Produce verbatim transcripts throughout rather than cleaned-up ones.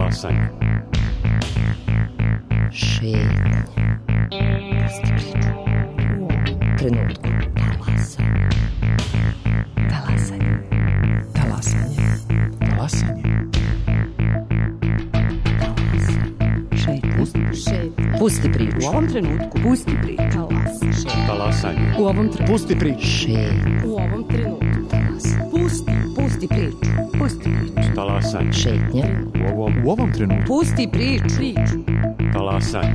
Talasanje. Šetnja. Pusti priču. U ovom trenutku. Talasanje. Talasanje. Talasanje. Talasanje. Šetnja. Šetnja. Pusti priču. U ovom trenutku. Pusti priču. Talasanje. Talasanje. U ovom trenutku. Pusti priču. Šetnja. U ovom trenutku. Talasanje. Pusti. Pusti priču. Pusti priču. Talasanje. Šetnja. U ovom, U ovom trenutku. Pusti priču. Priču. talasanje.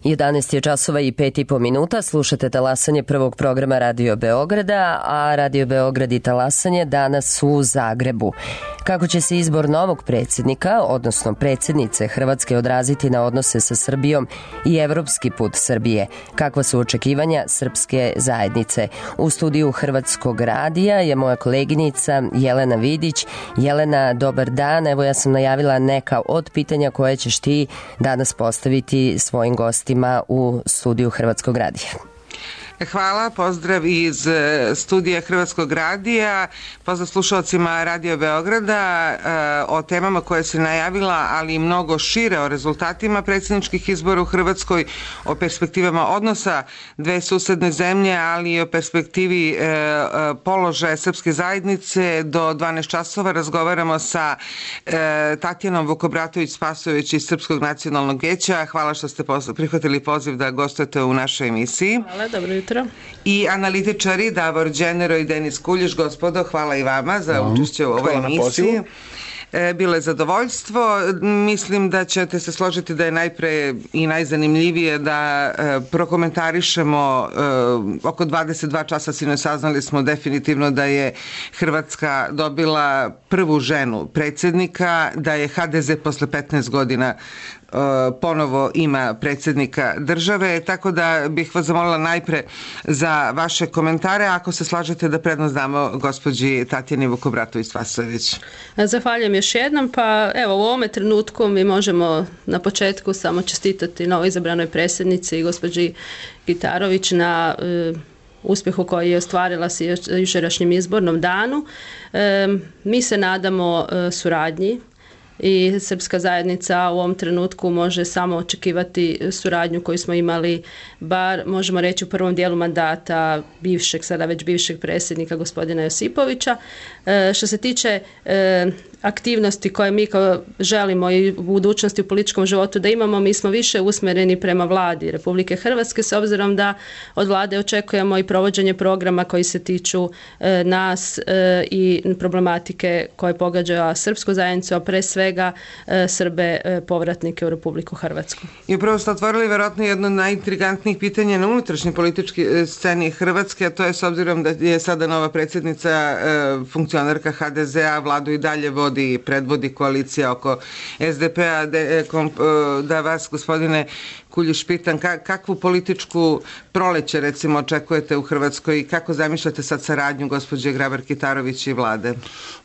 jedanaest je časova i pet i po minuta, slušate talasanje prvog programa Radio Beograda, a Radio Beograd i talasanje danas su u Zagrebu. Kako će se izbor novog predsjednika, odnosno predsjednice Hrvatske odraziti na odnose sa Srbijom i evropski put Srbije? Kakva su očekivanja srpske zajednice? U studiju Hrvatskog radija je moja koleginica Jelena Vidić. Jelena, dobar dan. Evo ja sam najavila neka od pitanja koje ćeš ti danas postaviti svojim gostima u studiju Hrvatskog radija. Hvala, pozdrav iz studija Hrvatskog radija, pozdrav slušalcima Radio Beograda o temama koje se najavila, ali i mnogo šire, o rezultatima predsjedničkih izbora u Hrvatskoj, o perspektivama odnosa dve susedne zemlje, ali i o perspektivi položaja srpske zajednice. Do dvanaest časova razgovaramo sa Tatjanom Vukobratović-Spasojević iz Srpskog nacionalnog vijeća. Hvala što ste prihvatili poziv da gostujete u našoj emisiji. Hvala, dobro jutro. I analitičari Davor Đenero i Denis Kuljiš. Gospodo, hvala i vama za učešće u ovoj emisiji. Bilo je zadovoljstvo. Mislim da ćete se složiti da je najpre i najzanimljivije da prokomentarišemo oko dvadeset dva časa sinoć saznali smo definitivno da je Hrvatska dobila prvu ženu predsjednika, da je ha de ze posle petnaest godina ponovo ima predsjednika države, tako da bih vas zamolila najpre za vaše komentare, ako se slažete da prednost damo gospođi Tatjani Vukobratović-Spasojević. Zahvaljujem još jednom, pa evo u ovome trenutku mi možemo na početku samo čestitati novo izabranoj predsjednici i gospođi Gitarović na uh, uspjehu koji je ostvarila s jučerašnjim izbornom danu. E, mi se nadamo uh, suradnji i srpska zajednica u ovom trenutku može samo očekivati suradnju koju smo imali, bar možemo reći u prvom dijelu mandata bivšeg, sada već bivšeg predsjednika gospodina Josipovića. E, što se tiče e, aktivnosti koje mi kao želimo i u budućnosti u političkom životu da imamo, mi smo više usmjereni prema vladi Republike Hrvatske, s obzirom da od vlade očekujemo i provođenje programa koji se tiču e, nas e, i problematike koje pogađaju srpsku zajednicu, a pre svega e, Srbe e, povratnike u Republiku Hrvatsku. I upravo ste otvorili vjerojatno jedno od najintrigantnijih pitanja na unutrašnjoj političkoj sceni Hrvatske, a to je s obzirom da je sada nova predsjednica e, funkcionarka ha de zea, vladu i dalje vodi i predvodi koalicija oko es de pe-a, de, kom, da vas, gospodine Kuljiš, pitam kakvu političku proleće recimo očekujete u Hrvatskoj i kako zamišljate sad saradnju gospođe Grabar-Kitarović i vlade?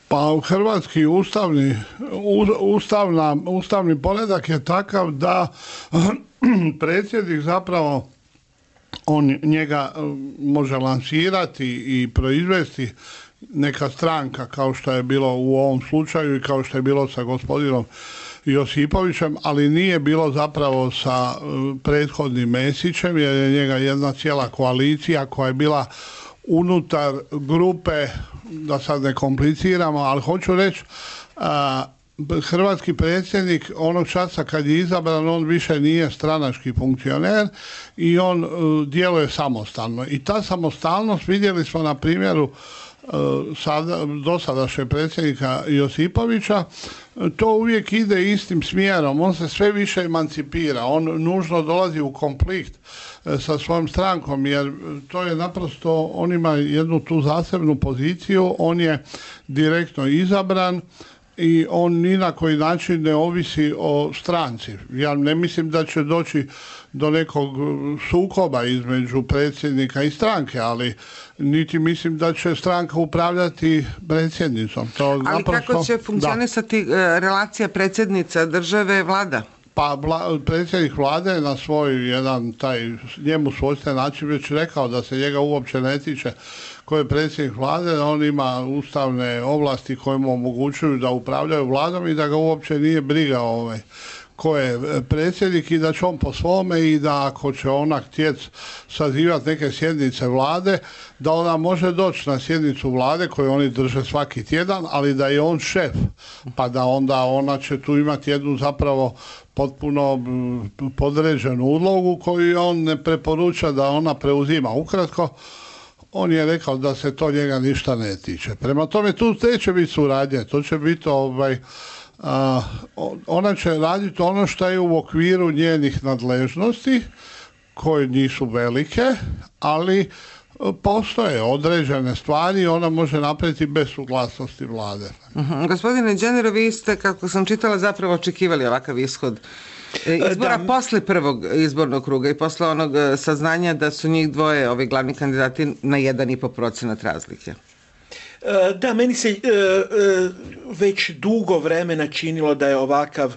Pa hrvatski ustavni, ustavna, ustavni poredak je takav da predsjednik zapravo on njega može lansirati i proizvesti neka stranka, kao što je bilo u ovom slučaju i kao što je bilo sa gospodinom Josipovićem, ali nije bilo zapravo sa prethodnim Mesićem, jer je njega jedna cijela koalicija koja je bila unutar grupe, da sad ne kompliciramo, ali hoću reći, a, hrvatski predsjednik onog časa kad je izabran, on više nije stranački funkcioner i on uh, djeluje samostalno. I ta samostalnost vidjeli smo na primjeru Sada, dosadašnjeg predsjednika Josipovića, to uvijek ide istim smjerom, on se sve više emancipira, on nužno dolazi u konflikt sa svojom strankom, jer to je naprosto, on ima jednu tu zasebnu poziciju, on je direktno izabran i on ni na koji način ne ovisi o stranci. Ja ne mislim da će doći do nekog sukoba između predsjednika i stranke, ali niti mislim da će stranka upravljati predsjednicom. To ali naprosto, kako će funkcionisati da. relacija predsjednica države vlada? Pa vla, predsjednik vlade na svoj jedan taj njemu svojstven način već rekao da se njega uopće ne tiče ko je predsjednik vlade, on ima ustavne ovlasti koje mu omogućuju da upravljaju vladom i da ga uopće nije briga ovaj, ko je predsjednik i da će on po svome i da ako će ona htjeti sazivati neke sjednice vlade, da ona može doći na sjednicu vlade koju oni drže svaki tjedan, ali da je on šef, pa da onda ona će tu imati jednu zapravo potpuno podređenu ulogu koju on ne preporuča da ona preuzima. Ukratko, on je rekao da se to njega ništa ne tiče. Prema tome, tu neće biti suradnje, to će biti ovaj, a, ona će raditi ono što je u okviru njenih nadležnosti, koje nisu velike, ali postoje određene stvari i ona može napraviti bez suglasnosti vlade. Uh-huh. Gospodine Đenero, vi ste, kako sam čitala, zapravo očekivali ovakav ishod izbora da. posle prvog izbornog kruga i posle onog saznanja da su njih dvoje ovi glavni kandidati na jedan i po procenat razlike. Da, meni se već dugo vremena činilo da je ovakav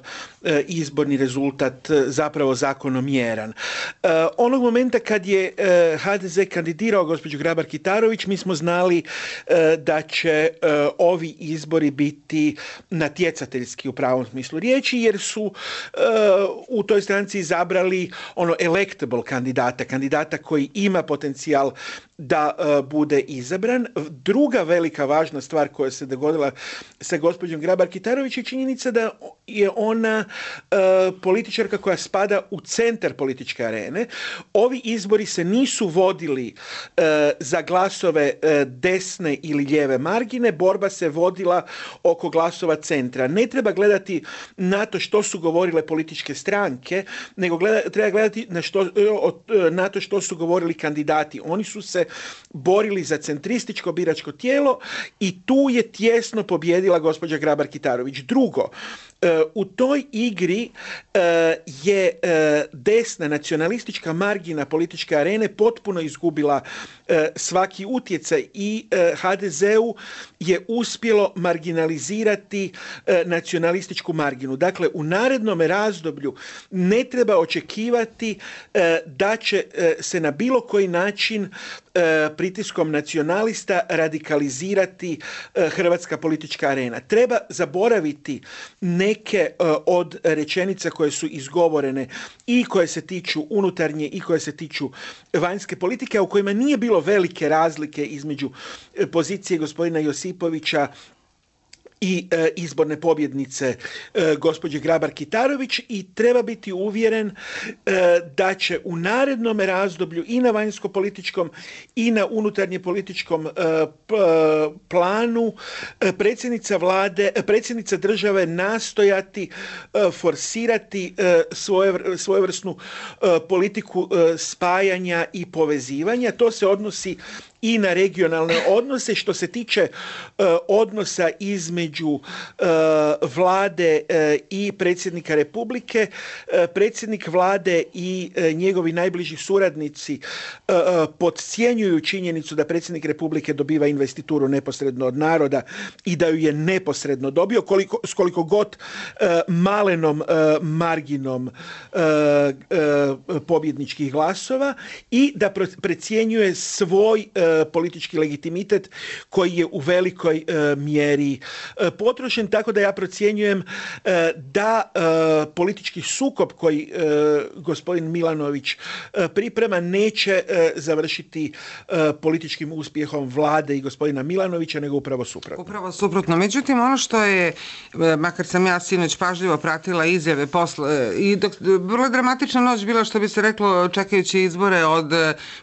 izborni rezultat zapravo zakonomjeran. Onog momenta kad je ha de ze kandidirao gospođu Grabar-Kitarović, mi smo znali da će ovi izbori biti natjecateljski u pravom smislu riječi, jer su u toj stranci izabrali ono electable kandidata, kandidata koji ima potencijal da bude izabran. Druga velika važna stvar koja se dogodila sa gospođom Grabar-Kitarović je činjenica da je ona e, političarka koja spada u centar političke arene. Ovi izbori se nisu vodili e, za glasove e, desne ili lijeve margine, borba se vodila oko glasova centra. Ne treba gledati na to što su govorile političke stranke, nego gleda, treba gledati na, što, na to što su govorili kandidati. Oni su se borili za centrističko biračko tijelo i tu je tjesno pobjedila gospođa Grabar-Kitarović. Drugo, u toj igri je desna nacionalistička margina političke arene potpuno izgubila svaki utjecaj i ha de zeu je uspjelo marginalizirati nacionalističku marginu. Dakle, u narednom razdoblju ne treba očekivati da će se na bilo koji način pritiskom nacionalista radikalizirati hrvatska politička arena. Treba zaboraviti neke od rečenica koje su izgovorene i koje se tiču unutarnje i koje se tiču vanjske politike, a u kojima nije bilo velike razlike između pozicije gospodina Josipovića i e, izborne pobjednice e, gospođe Grabar-Kitarović i treba biti uvjeren e, da će u narednom razdoblju i na vanjsko-političkom i na unutarnje političkom e, p, planu e, predsjednica vlade, predsjednica države nastojati e, forsirati e, svoje, svojevrsnu e, politiku e, spajanja i povezivanja. To se odnosi i na regionalne odnose. Što se tiče uh, odnosa između uh, vlade uh, i predsjednika Republike, uh, predsjednik vlade i uh, njegovi najbliži suradnici uh, podcjenjuju činjenicu da predsjednik Republike dobiva investituru neposredno od naroda i da ju je neposredno dobio, koliko, s koliko god uh, malenom uh, marginom uh, uh, pobjedničkih glasova i da precjenjuje svoj uh, politički legitimitet koji je u velikoj e, mjeri e, potrošen, tako da ja procjenjujem e, da e, politički sukob koji e, gospodin Milanović e, priprema neće e, završiti e, političkim uspjehom vlade i gospodina Milanovića, nego upravo suprotno. Upravo suprotno. Međutim, ono što je, makar sam ja sinoć pažljivo pratila izjave posle, i dok, vrlo dramatična noć bila, što bi se reklo, čekajući izbore od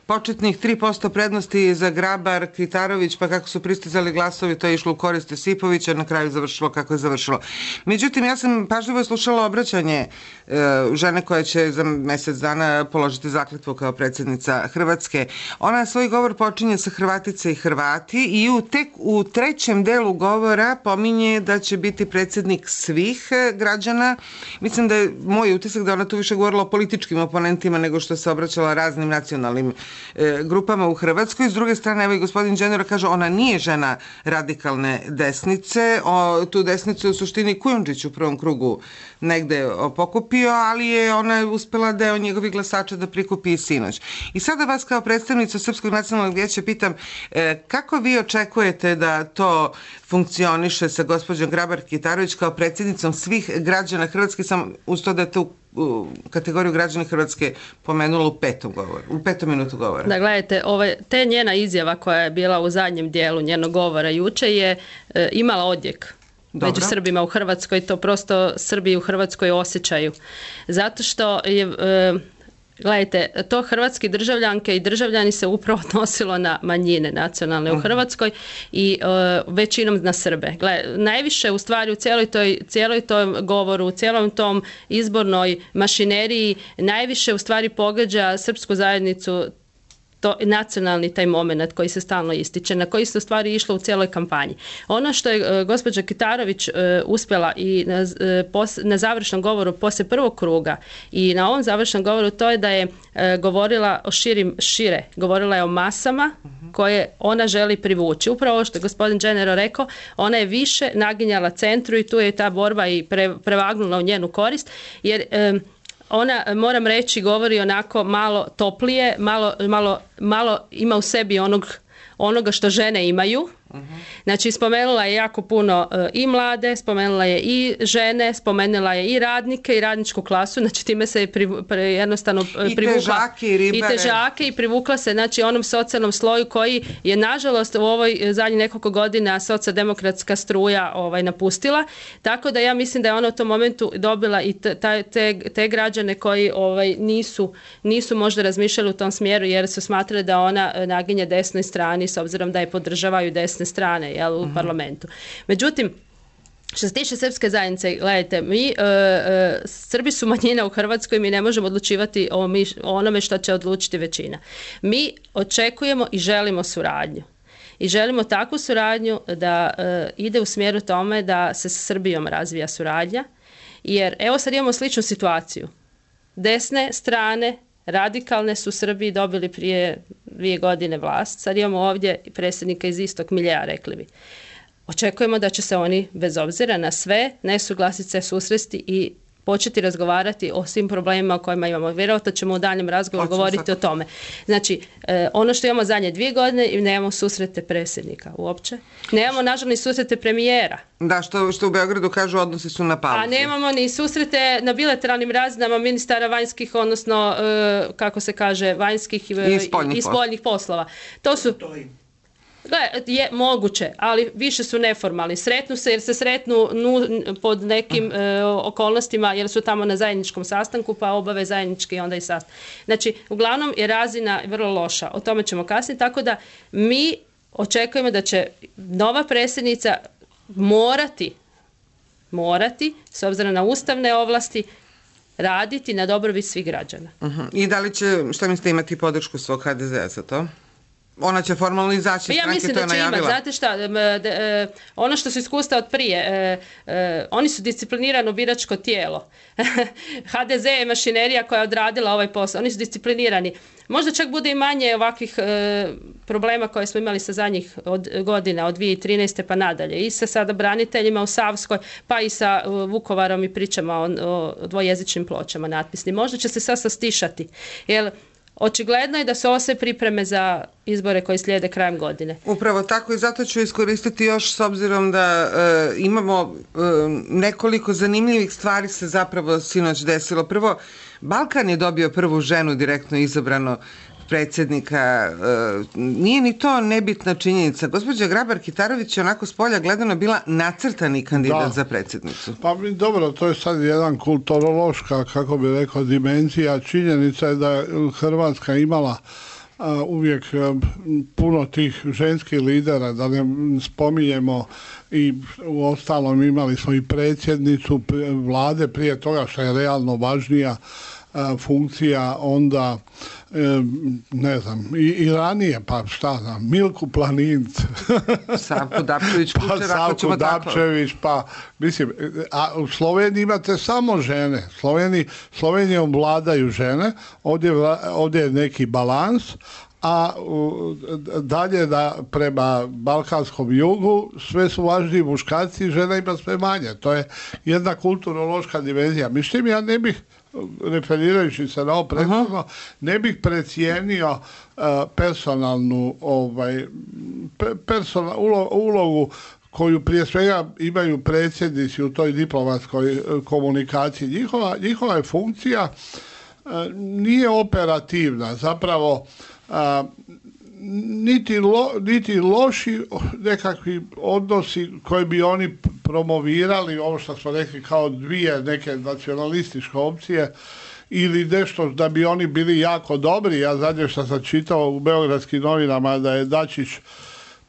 početnih tri posto prednosti za Grabar, Kitarović, pa kako su pristizali glasovi, to je išlo u korist Josipovića, na kraju završilo kako je završilo. Međutim, ja sam pažljivo slušala obraćanje e, žene koja će za mjesec dana položiti zakletvu kao predsjednica Hrvatske. Ona svoj govor počinje sa Hrvatice i Hrvati i u tek u trećem delu govora pominje da će biti predsjednik svih građana. Mislim da je moj utisak da ona tu više govorila o političkim oponentima nego što se obraćala raznim nacionalnim e, grupama u Hrvatskoj. S druge strane, evo i gospodin Đenero kaže, ona nije žena radikalne desnice. O, tu desnicu je u suštini Kujundžić u prvom krugu negde pokupio, ali je ona uspela deo njegovih glasača da prikupi i sinoć. I sada vas kao predstavnica Srpskog nacionalnog vijeća pitam, e, kako vi očekujete da to funkcioniše sa gospođom Grabar-Kitarović kao predsjednicom svih građana Hrvatske, sam uz to da je tu u kategoriju građana Hrvatske pomenula u petom govoru, u petom minutu govora. Da, gledajte, ove, te njena izjava koja je bila u zadnjem dijelu njenog govora juče je e, imala odjek. Dobro. Među Srbima u Hrvatskoj, to prosto Srbi u Hrvatskoj osjećaju. Zato što je, e, gledajte, to hrvatski državljanke i državljani se upravo odnosilo na manjine nacionalne u Hrvatskoj i e, većinom na Srbe. Gledajte, najviše u stvari u cijeloj toj, cijeloj tom govoru, u cijelom tom izbornoj mašineriji, najviše u stvari pogađa srpsku zajednicu to nacionalni taj moment koji se stalno ističe, na koji se u stvari išlo u cijeloj kampanji. Ono što je uh, gospođa Kitarović uh, uspjela i na, uh, pos, na završnom govoru poslije prvog kruga i na ovom završnom govoru, to je da je uh, govorila o širim, šire, govorila je o masama koje ona želi privući. Upravo ovo što je gospodin Đenero rekao, ona je više naginjala centru i tu je ta borba i pre, prevagnula u njenu korist, jer um, ona, moram reći, govori onako malo toplije, malo, malo, malo ima u sebi onog, onoga što žene imaju. Znači, spomenula je jako puno uh, i mlade, spomenula je i žene, spomenula je i radnike i radničku klasu, znači time se je pri, pri, jednostavno I privukla težake, i, i težake i privukla se, znači, onom socijalnom sloju koji je nažalost u ovoj zadnjih nekoliko godina socijaldemokratska struja ovaj, napustila, tako da ja mislim da je ona u tom momentu dobila i te, te, te građane koji ovaj, nisu, nisu možda razmišljali u tom smjeru jer su smatrali da ona naginje desnoj strani s obzirom da je podržavaju desne strane, jel, u uh-huh. parlamentu. Međutim, što se tiče srpske zajednice, gledajte, mi, e, e, Srbi su manjina u Hrvatskoj, mi ne možemo odlučivati o, mi, o onome što će odlučiti većina. Mi očekujemo i želimo suradnju. I želimo takvu suradnju da e, ide u smjeru tome da se s Srbijom razvija suradnja, jer evo sad imamo sličnu situaciju. Desne strane, radikalne su Srbiji dobili prije dvije godine vlast. Sad imamo ovdje predsjednika iz istog miljea, rekli bi. Očekujemo da će se oni, bez obzira na sve nesuglasice, susresti i početi razgovarati o svim problemima o kojima imamo. Vjerojatno ćemo u daljem razgovoru govoriti sad o tome. Znači, e, ono što imamo zadnje dvije godine i nemamo susrete predsjednika uopće. Nemamo, nažalost, ni susrete premijera. Da, što, što u Beogradu kažu, odnosi su na pauzi. A nemamo ni susrete na bilateralnim razinama ministara vanjskih, odnosno, e, kako se kaže, vanjskih e, i spoljnih, i spoljnih poslova. To su... je moguće, ali više su neformalni. Sretnu se jer se sretnu nu, pod nekim e, okolnostima jer su tamo na zajedničkom sastanku pa obave zajednički onda i sastanak. Znači, uglavnom je razina vrlo loša. O tome ćemo kasnije. Tako da mi očekujemo da će nova predsjednica morati, morati, s obzirom na ustavne ovlasti, raditi na dobrobit svih građana. Uh-huh. I da li će, šta mislite, imati podršku svog ha de zea za to? Ona će formalno izaći, ja stranke to je najavila. Imati, znate šta, ono što su iskustva od prije, oni su disciplinirano biračko tijelo. ha de ze je mašinerija koja je odradila ovaj posao, oni su disciplinirani. Možda čak bude i manje ovakvih problema koje smo imali sa zadnjih od, godina, od dvije tisuće trinaeste pa nadalje. I sa sada braniteljima u Savskoj, pa i sa Vukovarom i pričama o, o dvojezičnim pločama natpisnim. Možda će se sad sastišati, jer očigledno je da su ovo sve pripreme za izbore koji slijede krajem godine. Upravo tako i zato ću iskoristiti još s obzirom da e, imamo e, nekoliko zanimljivih stvari se zapravo sinoć desilo. Prvo, Balkan je dobio prvu ženu direktno izabrano predsjednika. E, nije ni to nebitna činjenica. Gospođa Grabar-Kitarović je onako s polja gledano bila nacrtani kandidat da. za predsjednicu. Pa dobro, to je sad jedan kulturološka, kako bi rekao, dimenzija. Činjenica je da je Hrvatska imala uvijek puno tih ženskih lidera, da ne spominjemo i u ostalom imali smo i predsjednicu vlade prije toga, što je realno važnija funkcija, onda ne znam, i, i ranije, pa šta znam, Milku Planinc, Savku Dapčević, pa Savku Dapčević, pa mislim, a u Sloveniji imate samo žene, Sloveniji, Slovenijom vladaju žene, ovdje, ovdje je neki balans, a u, dalje da prema balkanskom jugu sve su važniji muškarci, žena ima sve manje. To je jedna kulturološka dimenzija. Mislim, ja ne bih, referirajući se na ovo prethodno, ne bih precijenio uh, personalnu ovaj, personal, ulo, ulogu koju prije svega imaju predsjednici u toj diplomatskoj komunikaciji. Njihova, njihova je funkcija uh, nije operativna, zapravo A, niti, lo, niti loši nekakvi odnosi koji bi oni promovirali, ovo što smo rekli kao dvije neke nacionalističke opcije, ili nešto da bi oni bili jako dobri. Ja zadnje što sam čitao u beogradskim novinama da je Dačić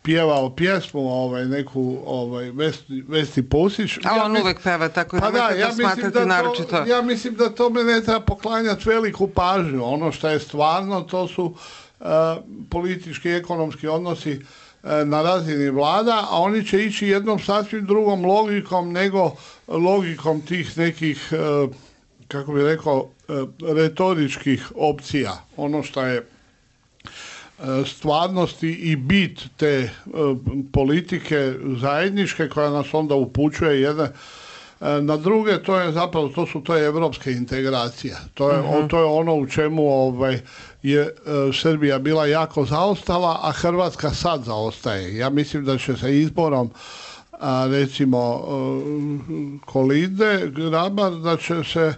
pjevao pjesmu ovaj, neku ovaj, Vesni, Vesni Pusić. A ja on mis... uvek peva, tako pa nemojte da, ja to smatrati da naročito. To, ja mislim da tome ne treba poklanjati veliku pažnju. Ono što je stvarno, to su uh, politički i ekonomski odnosi uh, na razini vlada, a oni će ići jednom sasvim drugom logikom nego logikom tih nekih, uh, kako bih rekao, uh, retoričkih opcija. Ono što je stvarnosti i bit te uh, politike zajedničke koja nas onda upućuje jedne uh, na druge, to je zapravo, to su to je evropske integracije. To je, uh-huh. to je ono u čemu ovaj, je uh, Srbija bila jako zaostala, a Hrvatska sad zaostaje. Ja mislim da će se izborom a, recimo uh, Kolinde Grabar, da će se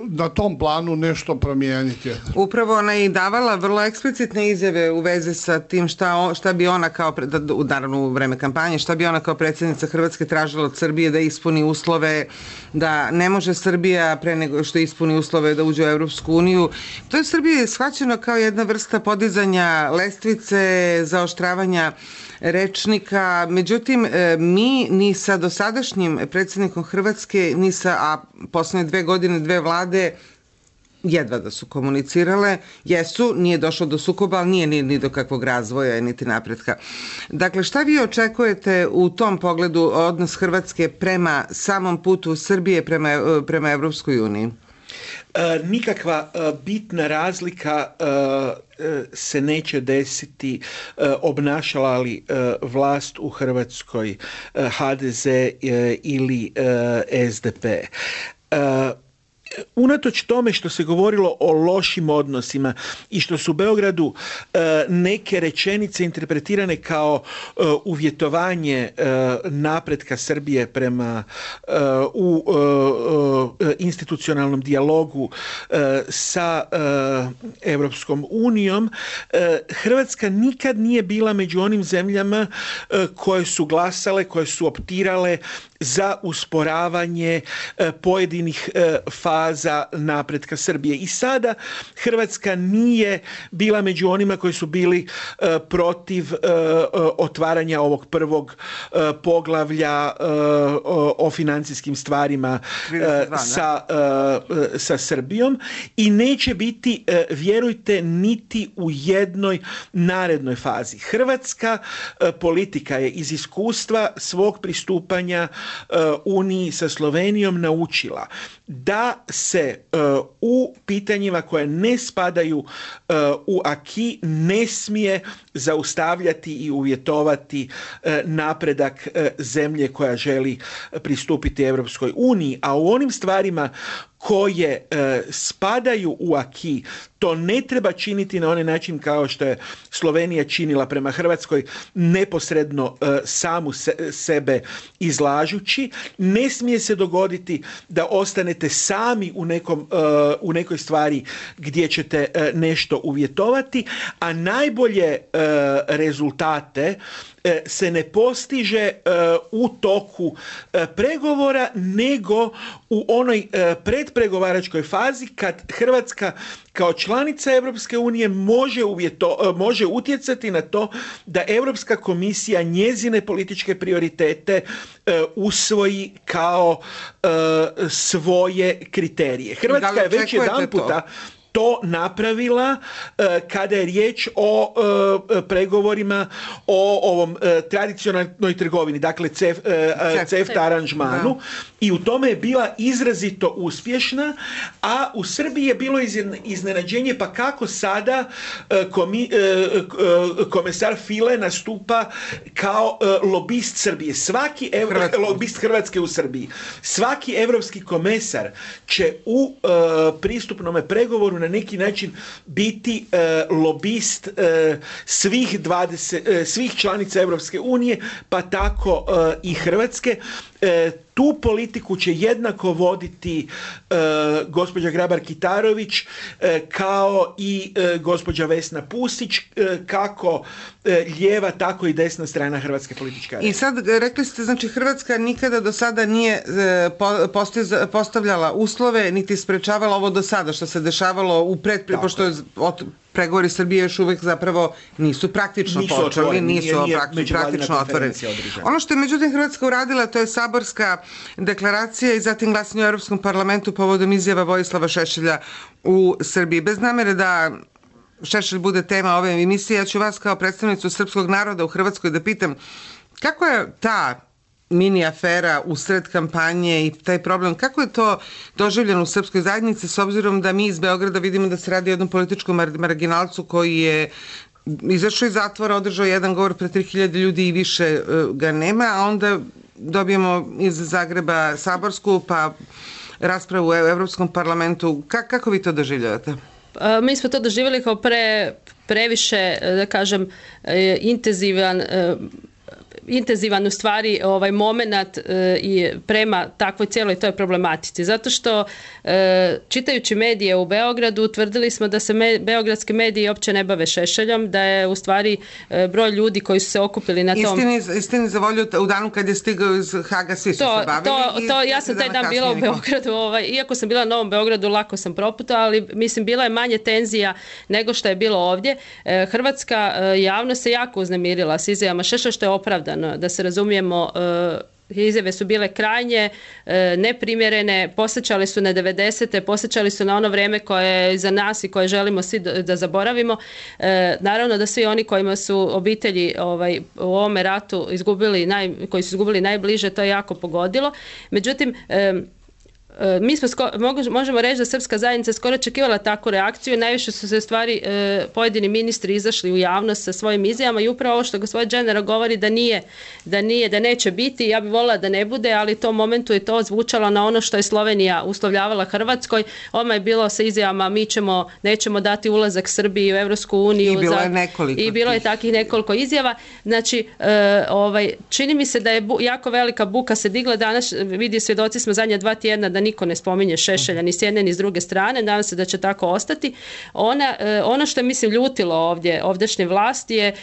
na tom planu nešto promijeniti. Upravo ona je i davala vrlo eksplicitne izjave u vezi sa tim šta, šta bi ona kao, naravno u vreme kampanje, šta bi ona kao predsjednica Hrvatske tražila od Srbije da ispuni uslove, da ne može Srbija pre nego što ispuni uslove da uđe u Evropsku uniju. To je Srbije shvaćeno kao jedna vrsta podizanja lestvice, zaoštravanja rečnika, međutim mi ni sa dosadašnjim predsjednikom Hrvatske, ni sa, a poslednje dve godine dve vlade jedva da su komunicirale, jesu, nije došlo do sukoba, ali nije ni, ni do kakvog razvoja, niti napretka. Dakle, šta vi očekujete u tom pogledu odnos Hrvatske prema samom putu Srbije prema, prema Evropskoj uniji? E, nikakva e, bitna razlika e, se neće desiti e, obnašala li e, vlast u Hrvatskoj e, ha de ze e, ili e, es de pe. E, Unatoč tome što se govorilo o lošim odnosima i što su u Beogradu e, neke rečenice interpretirane kao e, uvjetovanje e, napretka Srbije prema e, u e, institucionalnom dijalogu e, sa e, Evropskom unijom, e, Hrvatska nikad nije bila među onim zemljama e, koje su glasale, koje su optirale za usporavanje e, pojedinih e, faza napretka Srbije. I sada Hrvatska nije bila među onima koji su bili e, protiv e, otvaranja ovog prvog e, poglavlja e, o, o financijskim stvarima e, sa, e, sa Srbijom i neće biti, e, vjerujte, niti u jednoj narednoj fazi. Hrvatska e, politika je iz iskustva svog pristupanja Uniji sa Slovenijom naučila da se uh, u pitanjima koje ne spadaju uh, u aki ne smije zaustavljati i uvjetovati uh, napredak uh, zemlje koja želi pristupiti Evropskoj uniji, a u onim stvarima koje e, spadaju u aki, to ne treba činiti na onaj način kao što je Slovenija činila prema Hrvatskoj, neposredno e, samu se, sebe izlažući. Ne smije se dogoditi da ostanete sami u, nekom, e, u nekoj stvari gdje ćete e, nešto uvjetovati, a najbolje e, rezultate se ne postiže u toku pregovora, nego u onoj predpregovaračkoj fazi kad Hrvatska kao članica Europske unije može, uvjeto, može utjecati na to da Europska komisija njezine političke prioritete usvoji kao svoje kriterije. Hrvatska je već jedan puta to napravila uh, kada je riječ o uh, pregovorima o ovom uh, tradicionalnoj trgovini, dakle cef, uh, CEFTA aranžmanu, da. I u tome je bila izrazito uspješna, a u Srbiji je bilo iznenađenje pa kako sada uh, komi, uh, uh, komesar File nastupa kao uh, lobist Srbije. Svaki ev, lobist Hrvatske u Srbiji. Svaki evropski komesar će u uh, pristupnom pregovoru na neki način biti uh, lobist uh, svih dvadeset uh, svih članica Europske unije, pa tako uh, i Hrvatske. Uh, tu politiku će jednako voditi uh, gospođa Grabar-Kitarović uh, kao i uh, gospođa Vesna Pusić, uh, kako uh, lijeva, tako i desna strana hrvatske političke arene. I sad rekli ste, znači Hrvatska nikada do sada nije uh, postavljala uslove, niti sprečavala ovo do sada što se dešavalo u pred, pošto je od pregovori Srbije još uvek zapravo nisu praktično nisu počeli, otvoreni, nisu nije, nije praktično, praktično otvoreni. Održana. Ono što je međutim Hrvatska uradila, to je saborska deklaracija i zatim glasanje u Europskom parlamentu povodom izjava Vojislava Šešelja u Srbiji. Bez namere da Šešelj bude tema ove emisije, ja ću vas kao predstavnicu srpskog naroda u Hrvatskoj da pitam kako je ta mini afera usred kampanje i taj problem, kako je to doživljeno u srpskoj zajednici s obzirom da mi iz Beograda vidimo da se radi o jednom političkom marginalcu koji je izašao iz zatvora, održao jedan govor pred tri hiljade ljudi i više ga nema, a onda dobijemo iz Zagreba saborsku pa raspravu u Evropskom parlamentu. Ka- kako vi to doživljavate? Mi smo to doživjeli kao pre, previše, da kažem, intenzivan intenzivan u stvari ovaj momenat e, i prema takvoj cijeloj toj problematici. Zato što e, čitajući medije u Beogradu utvrdili smo da se me, beogradski mediji uopće ne bave Šešeljom, da je u stvari e, broj ljudi koji su se okupili na tom... Istini, istini za volju, u danu kad je stigao iz Haga svi su to, se bavili. To, to, ja sam taj dan bila u Beogradu, ovaj, iako sam bila na Novom Beogradu, lako sam proputala, ali mislim bila je manje tenzija nego što je bilo ovdje. E, Hrvatska e, javnost se jako uznemirila s izjavama Šešelja, što je opravdano. Da se razumijemo, izjave su bile krajnje neprimjerene, posjećali su na devedesete, posjećali su na ono vrijeme koje je iza nas i koje želimo svi da zaboravimo. Naravno da svi oni kojima su obitelji ovaj, u ovome ratu izgubili, naj, koji su izgubili najbliže, to je jako pogodilo. Međutim, mi smo sko- možemo reći da srpska zajednica skoro očekivala takvu reakciju. Najviše su se stvari e, pojedini ministri izašli u javnost sa svojim izjavama i upravo ovo što gospodin Dženera govori da nije, da nije, da neće biti, ja bih voljela da ne bude, ali u tom momentu je to zvučalo na ono što je Slovenija uslovljavala Hrvatskoj. Odmah je bilo sa izjavama mi ćemo, nećemo dati ulazak Srbiji u Evropsku uniju. I bilo je nekoliko. I bilo je takih nekoliko izjava. Znači, e, ovaj, čini mi se da je bu, jako velika buka se digla danas, vidi svjedoci smo zadnja dva tjedna da niko ne spominje Šešelja ni s jedne ni s druge strane, nadam se da će tako ostati. Ona, ono što je mislim ljutilo ovdje, ovdješnje vlasti je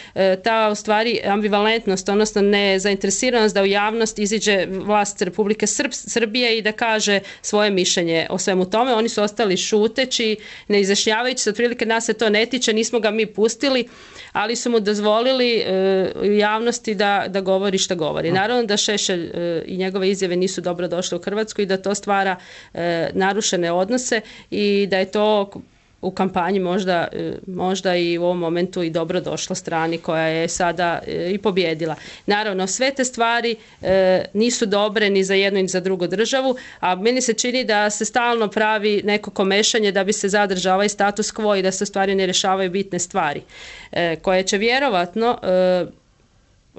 ta u stvari ambivalentnost, odnosno nezainteresiranost da u javnost iziđe vlast Republike Srb, Srbije i da kaže svoje mišljenje o svemu tome. Oni su ostali šuteći, ne izjašnjavajući se, otprilike nas se to ne tiče, nismo ga mi pustili, ali su mu dozvolili u javnosti da, da govori što govori. Naravno da Šešelj i njegove izjave nisu dobro došle u Hrvatsku i da to stvara e, narušene odnose i da je to u kampanji možda, možda i u ovom momentu i dobro došlo strani koja je sada e, i pobjedila. Naravno, sve te stvari e, nisu dobre ni za jednu ni za drugu državu, a meni se čini da se stalno pravi neko komešanje da bi se zadržao ovaj status quo i da se stvari ne rješavaju bitne stvari, e, koje će vjerovatno e,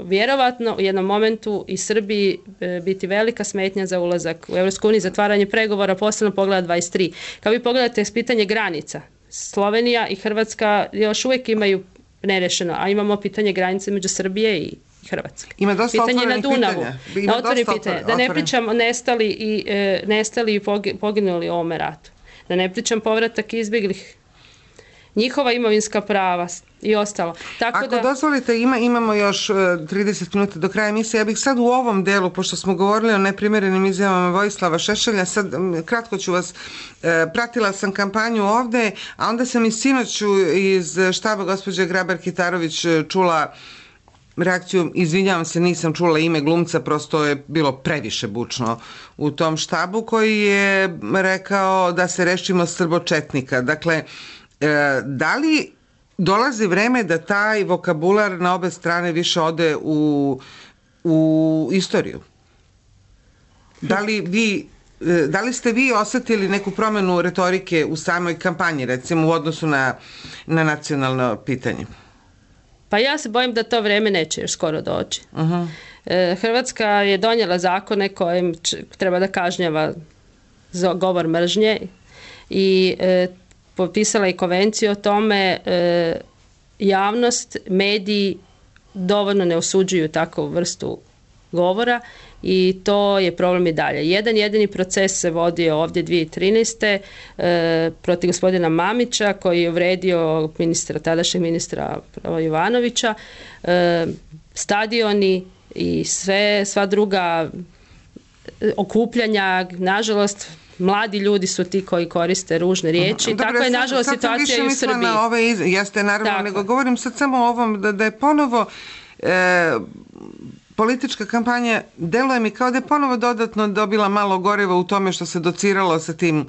vjerovatno u jednom momentu i Srbiji e, biti velika smetnja za ulazak u Evropsku uniju, zatvaranje pregovora, posebno pogleda dvadeset tri. Kao vi pogledate pitanje granica, Slovenija i Hrvatska još uvijek imaju nerešeno, a imamo pitanje granice među Srbije i Hrvatske. Ima dosta pitanje na Dunavu. Pitanja. Ima na otvorenih pitanja. Da ne pričamo nestali i, e, nestali i poginuli u ovome ratu. Da ne pričam povratak izbjeglih njihova imovinska prava i ostalo. Tako Ako da... dozvolite, ima, imamo još trideset minuta do kraja emisije. Ja bih sad u ovom delu, pošto smo govorili o neprimjerenim izjavama Vojislava Šešelja, sad kratko ću vas, pratila sam kampanju ovde, a onda sam i sinoć iz štaba gospođe Grabar-Kitarović čula reakciju, izvinjavam se, nisam čula ime glumca, prosto je bilo previše bučno u tom štabu, koji je rekao da se rešimo srbočetnika. Dakle, da li dolazi vreme da taj vokabular na obe strane više ode u, u istoriju? Da li vi, da li ste vi osetili neku promenu retorike u samoj kampanji, recimo u odnosu na, na nacionalno pitanje? Pa ja se bojim da to vreme neće još skoro doći. Uh-huh. Hrvatska je donijela zakone kojim treba da kažnjava govor mržnje i e, potpisala i konvenciju o tome. E, javnost, mediji dovoljno ne osuđuju takvu vrstu govora i to je problem i dalje. Jedan jedini proces se vodio ovdje dvije tisuće trinaeste. E, protiv gospodina Mamića, koji je uvredio ministra, tadašnjeg ministra Jovanovića. E, stadioni i sve, sva druga okupljanja, nažalost, mladi ljudi su ti koji koriste ružne riječi. Dobre, tako je, nažalost, situacija i u Srbiji. Na ove iz... Jeste, naravno, tako. Nego govorim sad samo o ovom, da, da je ponovo e, politička kampanja, deluje mi kao da je ponovo dodatno dobila malo goriva u tome što se dociralo sa tim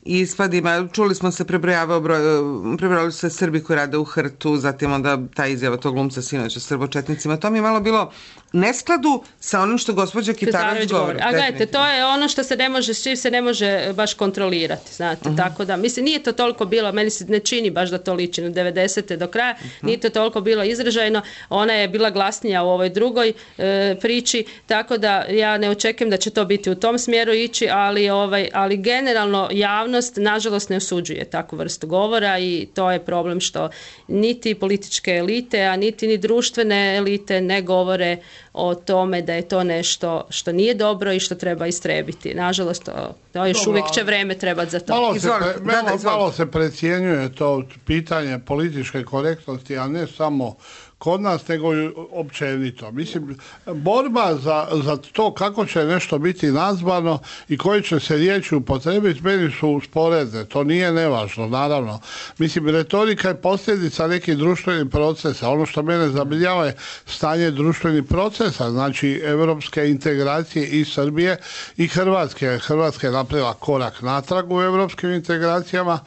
ispadima. Čuli smo se, prebrojali se Srbi koji rade u Hrtu, zatim onda ta izjava tog glumca sinoć o srbočetnicima. To mi je malo bilo neskladu sa onim što gospođa Kitarović govori. A gledajte, to je ono što se ne može, s čim se ne može baš kontrolirati, znate, uh-huh. Tako da, mislim, nije to toliko bilo, meni se ne čini baš da to liči na devedesete do kraja, uh-huh. Nije to toliko bilo izražajno, ona je bila glasnija u ovoj drugoj e, priči, tako da ja ne očekujem da će to biti u tom smjeru ići, ali, ovaj, ali generalno javnost, nažalost, ne osuđuje takvu vrstu govora i to je problem što niti političke elite, a niti ni društvene elite ne govore o tome da je to nešto što nije dobro i što treba istrebiti. Nažalost, to, to još dobro, uvijek će vreme trebati za to. Malo se, pre, malo, malo se precjenjuje to pitanje političke korektnosti, a ne samo kod nas, nego i općenito. Mislim, borba za, za to kako će nešto biti nazvano i koji će se riječi upotrebiti, meni su sporedne. To nije nevažno, naravno. Mislim, retorika je posljedica nekih društvenih procesa. Ono što mene zabrinjava je stanje društvenih procesa, znači evropske integracije i Srbije i Hrvatske. Hrvatska je napravila korak natrag u evropskim integracijama,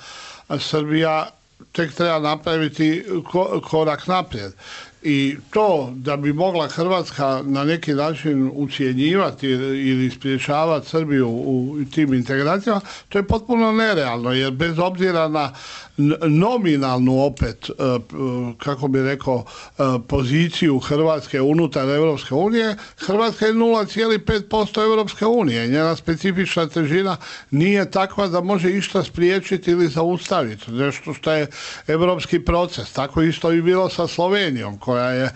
a Srbija tek treba napraviti korak naprijed. I to da bi mogla Hrvatska na neki način ucjenjivati ili spriječavati Srbiju u tim integracijama, to je potpuno nerealno, jer bez obzira na nominalnu opet, kako bi rekao, poziciju Hrvatske unutar Europske unije, Hrvatska je nula zarez pet posto Europske unije. Njena specifična težina nije takva da može išta spriječiti ili zaustaviti. Nešto što je europski proces. Tako isto i bilo sa Slovenijom, koja je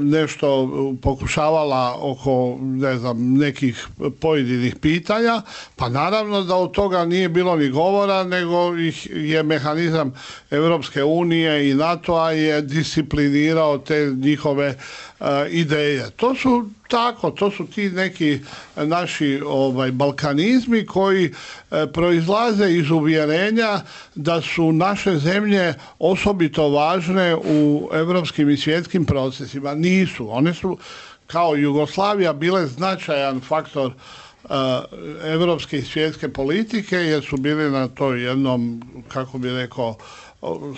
nešto pokušavala oko, ne znam, nekih pojedinih pitanja, pa naravno da od toga nije bilo ni govora, nego ih je mehanizam Europske unije i NATO-a je disciplinirao te njihove uh, ideje. To su tako, to su ti neki naši ovaj, balkanizmi koji e, proizlaze iz uvjerenja da su naše zemlje osobito važne u europskim i svjetskim procesima. Nisu. One su kao Jugoslavija bile značajan faktor europske i svjetske politike, jer su bili na to jednom, kako bi rekao,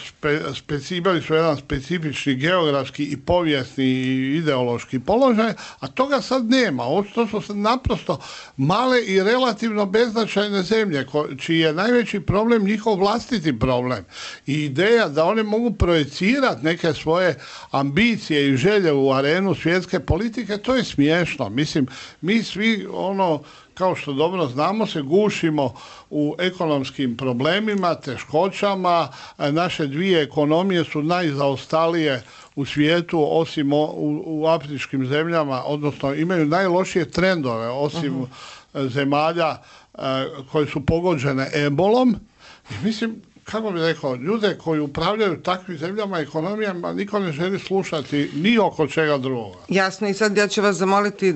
Spe, speci, imali su jedan specifični geografski i povijesni i ideološki položaj, a toga sad nema. To su sad naprosto male i relativno beznačajne zemlje, ko, čiji je najveći problem njihov vlastiti problem. I ideja da one mogu projecirati neke svoje ambicije i želje u arenu svjetske politike, to je smiješno. Mislim, mi svi ono, kao što dobro znamo, se gušimo u ekonomskim problemima, teškoćama. Naše dvije ekonomije su najzaostalije u svijetu, osim u, u afričkim zemljama, odnosno imaju najlošije trendove, osim uh-huh. zemalja uh, koje su pogođene ebolom. I mislim, kako bi rekao, ljude koji upravljaju takvim zemljama, ekonomijama, niko ne želi slušati ni oko čega drugoga. Jasno, i sad ja ću vas zamoliti e,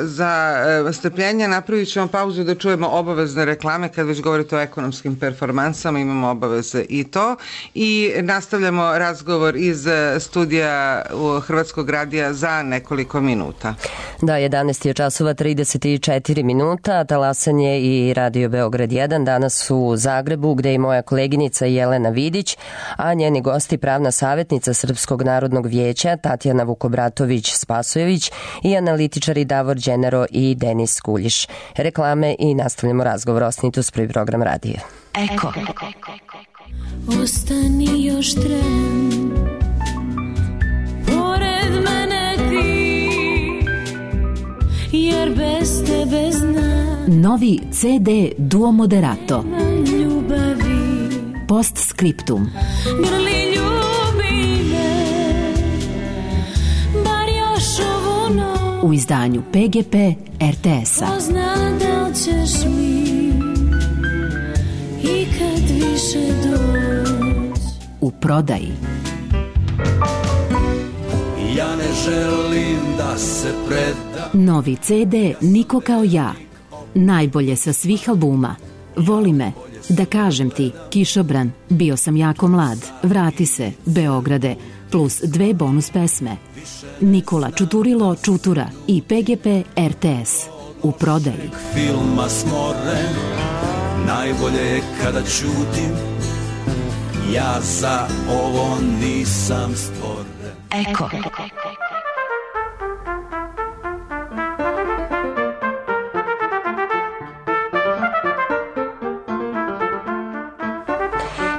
za e, strpljenje, napravit ćemo pauzu da čujemo obavezne reklame, kad već govorite o ekonomskim performansama, imamo obaveze i to, i nastavljamo razgovor iz studija u Hrvatskog radija za nekoliko minuta. Da, jedanaest je časova trideset četiri minuta, talasanje i Radio Beograd jedan danas u Zagrebu, gde je moja koleginica Jelena Vidić, a njeni gosti pravna savjetnica Srpskog narodnog vijeća Tatjana Vukobratović-Spasojević i analitičari Davor Đenero i Denis Kuljiš. Reklame i nastavljamo razgovor. Ostanite uz prvi program radija. Eko. Ostani još tren, pored mene ti, jer bez tebe znam. Novi C D Duo Moderato. Ljubavi. Postscriptum. Grli ljubi me, bar još ovu noć. U izdanju P G P R T S-a. Pozna da li ćeš mi i kad više doć. U prodaji. Ja ne želim da se preda. Novi C D Niko kao ja. Najbolje sa svih albuma. Voli me, da kažem ti, Kišobran, bio sam jako mlad, vrati se, Beograde, plus dve bonus pesme. Nikola Čuturilo Čutura i P G P R T S. U prodaji. Filma smoren, najbolje je kada čutim, ja za ovo nisam stvoren. Eko.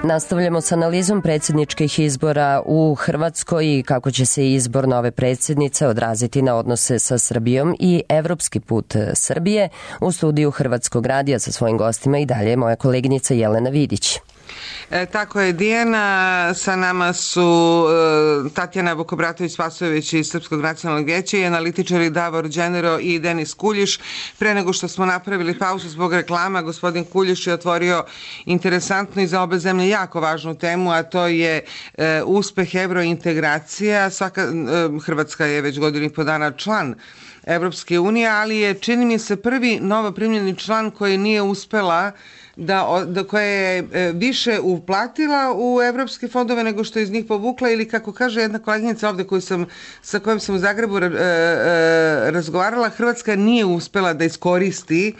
Nastavljamo s analizom predsjedničkih izbora u Hrvatskoj i kako će se izbor nove predsjednice odraziti na odnose sa Srbijom i evropski put Srbije. U studiju Hrvatskog radija sa svojim gostima i dalje moja koleginica Jelena Vidić. E, tako je, Dijana, sa nama su e, Tatjana Vukobratović-Spasojević iz Srpskog nacionalnog vijeća i analitičari Davor Đenero i Denis Kuljiš. Pre nego što smo napravili pauzu zbog reklama, gospodin Kuljiš je otvorio interesantnu i za obe zemlje jako važnu temu, a to je e, uspeh evrointegracija. Svaka, e, Hrvatska je već godinu i po dana član Evropske unije, ali je, čini mi se, prvi novo primljeni član koji nije uspela da, da koja je više uplatila u evropske fondove nego što je iz njih povukla, ili kako kaže jedna koleginica ovde koju sam, sa kojom sam u Zagrebu e, e, razgovarala, Hrvatska nije uspela da iskoristi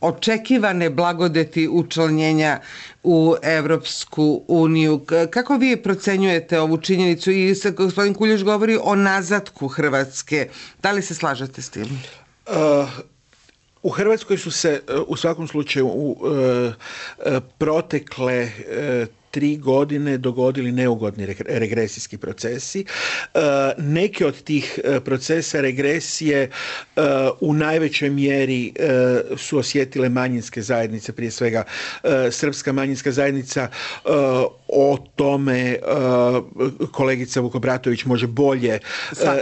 očekivane blagodeti učlanjenja u Evropsku uniju. Kako vi procenjujete ovu činjenicu? I gospodin Kuljiš govori o nazatku Hrvatske. Da li se slažete s tim? Uh... U Hrvatskoj su se u svakom slučaju u e, protekle e, tri godine dogodili neugodni regresijski procesi. E, neke od tih procesa regresije e, u najvećoj mjeri e, su osjetile manjinske zajednice, prije svega e, srpska manjinska zajednica. E, o tome e, kolegica Vukobratović može bolje e,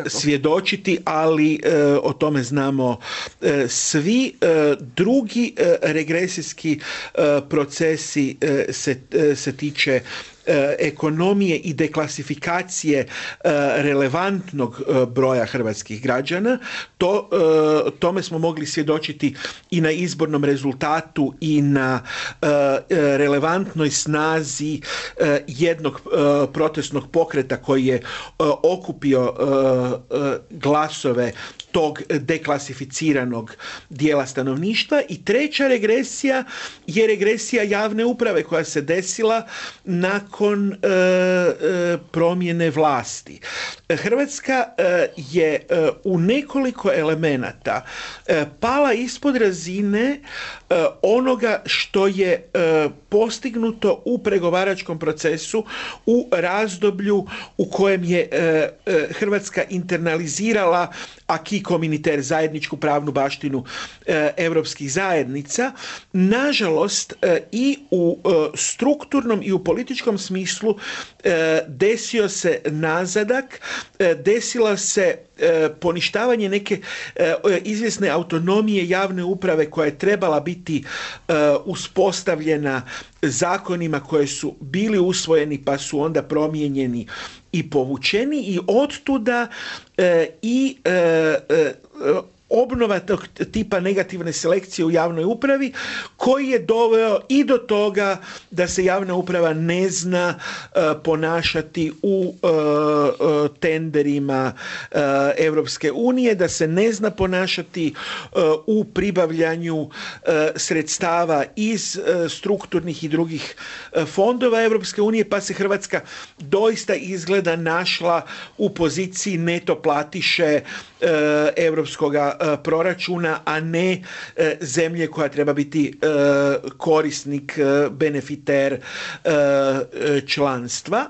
svjedočiti, ali e, o tome znamo e, svi. E, drugi e, regresijski e, procesi e, se, e, se tiče ekonomije i deklasifikacije relevantnog broja hrvatskih građana. To, tome smo mogli svjedočiti i na izbornom rezultatu i na relevantnoj snazi jednog protestnog pokreta koji je okupio glasove tog deklasificiranog dijela stanovništva. I treća regresija je regresija javne uprave koja se desila nakon e, e, promjene vlasti. Hrvatska e, je e, u nekoliko elemenata e, pala ispod razine e, onoga što je e, postignuto u pregovaračkom procesu u razdoblju u kojem je e, e, Hrvatska internalizirala aki acquis communautaire, zajedničku pravnu baštinu europskih zajednica. Nažalost, i u strukturnom i u političkom smislu desio se nazadak, desila se poništavanje neke izvjesne autonomije javne uprave koja je trebala biti uspostavljena zakonima koje su bili usvojeni pa su onda promijenjeni i povučeni, i ottuda i obnova tog tipa negativne selekcije u javnoj upravi, koji je doveo i do toga da se javna uprava ne zna uh, ponašati u uh, uh, tenderima uh, Europske unije, da se ne zna ponašati uh, u pribavljanju uh, sredstava iz uh, strukturnih i drugih uh, fondova Europske unije, pa se Hrvatska doista izgleda našla u poziciji neto platiše uh, europskoga proračuna, a ne zemlje koja treba biti korisnik, benefiter članstva.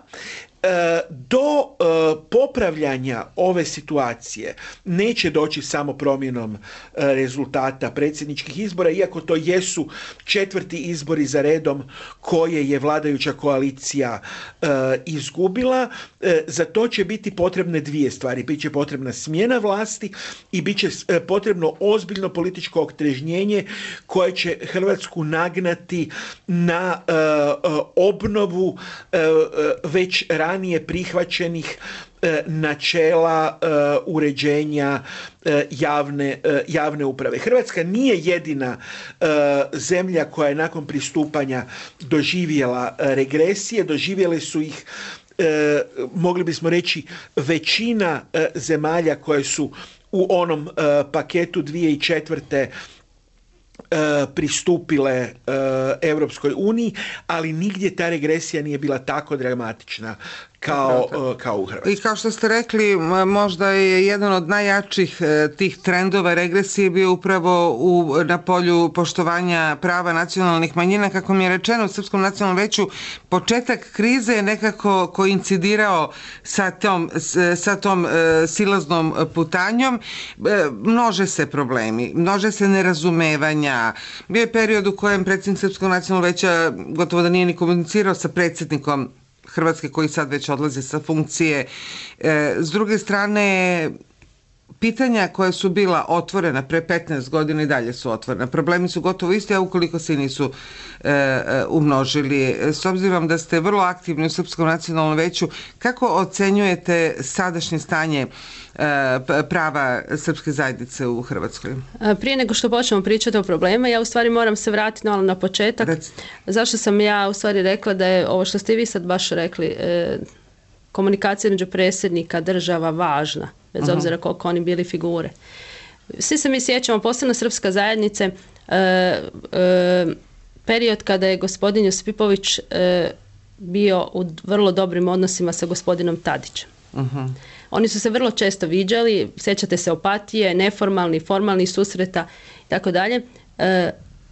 Do popravljanja ove situacije neće doći samo promjenom rezultata predsjedničkih izbora, iako to jesu četvrti izbori za redom koje je vladajuća koalicija izgubila. Za to će biti potrebne dvije stvari. Biće potrebna smjena vlasti i bit će potrebno ozbiljno političko otrežnjenje koje će Hrvatsku nagnati na obnovu već ranije prihvaćenih načela uređenja javne, javne uprave. Hrvatska nije jedina zemlja koja je nakon pristupanja doživjela regresije, doživjele su ih, mogli bismo reći, većina zemalja koje su u onom paketu dvije tisuće četvrte pristupile Europskoj uniji, ali nigdje ta regresija nije bila tako dramatična kao, kao u Hrvatskoj. I kao što ste rekli, možda je jedan od najjačih tih trendova regresije bio upravo u, na polju poštovanja prava nacionalnih manjina. Kako mi je rečeno u Srpskom nacionalnom veću, početak krize je nekako koincidirao sa tom, sa tom silaznom putanjom. Množe se problemi, množe se nerazumevanja. Bio je period u kojem predsjednik Srpskog nacionalnog veća gotovo da nije ni komunicirao sa predsjednikom Hrvatske, koji sad već odlaze sa funkcije. E, s druge strane, pitanja koja su bila otvorena pre petnaest godina i dalje su otvorena. Problemi su gotovo isti, a ukoliko se nisu e, e, umnožili. S obzirom da ste vrlo aktivni u Srpskom nacionalnom veću, kako ocenjujete sadašnje stanje prava srpske zajednice u Hrvatskoj? Prije nego što počnemo pričati o problema, ja u stvari moram se vratiti malo na početak. Recite. Zašto sam ja u stvari rekla da je ovo što ste vi sad baš rekli, eh, komunikacija među predsjednika država važna, bez uh-huh. obzira koliko oni bili figure. Svi se mi sjećamo, posebno srpska zajednice, eh, eh, period kada je gospodin Josipović eh, bio u vrlo dobrim odnosima sa gospodinom Tadićem. Uh-huh. Oni su se vrlo često viđali, sjećate se Opatije, neformalni, formalni susreta i tako dalje.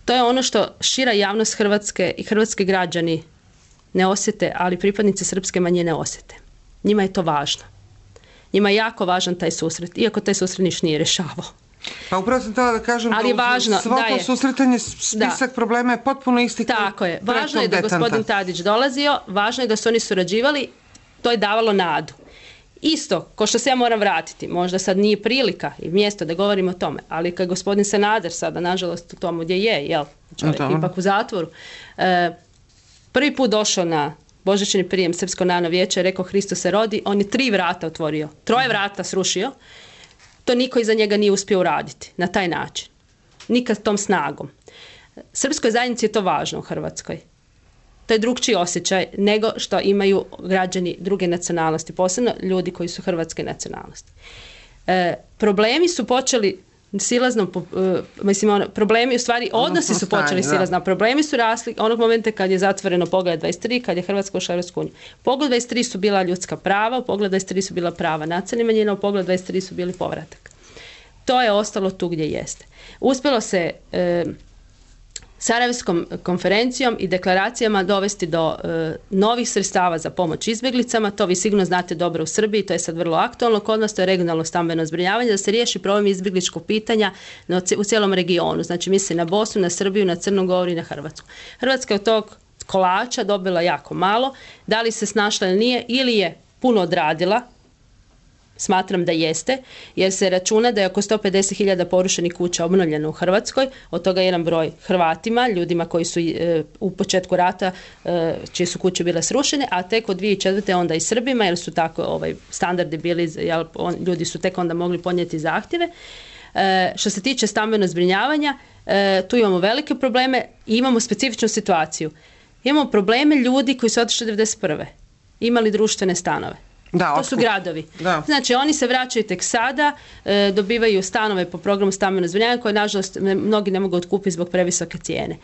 To je ono što šira javnost Hrvatske i hrvatski građani ne osjete, ali pripadnici srpske manjine osjete. Njima je to važno. Njima je jako važan taj susret, iako taj susret niš nije rješavao. Pa upravo sam htjela da kažem ali da važno, svo to je, susretanje, spisak da. problema je potpuno isti. Tako je. Važno je da je gospodin Tadić dolazio, važno je da su oni surađivali, to je davalo nadu. Isto, ko što se ja moram vratiti, možda sad nije prilika i mjesto da govorim o tome, ali kad gospodin Sanader sada, nažalost, u tomu gdje je, jel, čovjek ipak u zatvoru, e, prvi put došao na božićni prijem Srpsko narodno vijeće, rekao Hristos se rodi, on je tri vrata otvorio, troje vrata srušio, to niko iza njega nije uspio uraditi na taj način, nikad tom snagom. Srpskoj zajednici je to važno u Hrvatskoj. To je drugčiji osjećaj nego što imaju građani druge nacionalnosti, posebno ljudi koji su hrvatske nacionalnosti. E, problemi su počeli silazno, e, mislim, ono, problemi u stvari, odnosi su počeli silazno, problemi su rasli onog momenta kad je zatvoreno Poglavlje dvadeset tri, kad je Hrvatska ušla u Europsku uniju. Poglavlje dvadeset tri su bila ljudska prava, u Poglavlju dvadeset tri su bila prava nacionalnih manjina, u Poglavlju dvadeset tri su bili povratak. To je ostalo tu gdje jeste. Uspjelo se e, Sarajevskom konferencijom i deklaracijama dovesti do e, novih sredstava za pomoć izbjeglicama. To vi sigurno znate dobro u Srbiji, to je sad vrlo aktualno. Kod nas to je regionalno stambeno zbrinjavanje, da se riješi problem izbjegličkog pitanja na, u cijelom regionu. Znači misli na Bosnu, na Srbiju, na Crnu Goru i na Hrvatsku. Hrvatska je od tog kolača dobila jako malo. Da li se snašla ili nije, ili je puno odradila, smatram da jeste, jer se računa da je oko sto pedeset hiljada porušenih kuća obnovljeno u Hrvatskoj, od toga jedan broj Hrvatima, ljudima koji su e, u početku rata, e, čije su kuće bile srušene, a tek od dvije tisuće četvrte onda i Srbima, jer su tako ovaj, standardi bili, jel, on, ljudi su tek onda mogli podnijeti zahtjeve. E, što se tiče stambenog zbrinjavanja, e, tu imamo velike probleme i imamo specifičnu situaciju. Imamo probleme ljudi koji su otišli devedeset prve imali društvene stanove. Da, to su gradovi. Da. Znači oni se vraćaju tek sada, e, dobivaju stanove po programu stambenog zbrinjavanja koje nažalost ne, mnogi ne mogu otkupiti zbog previsoke cijene.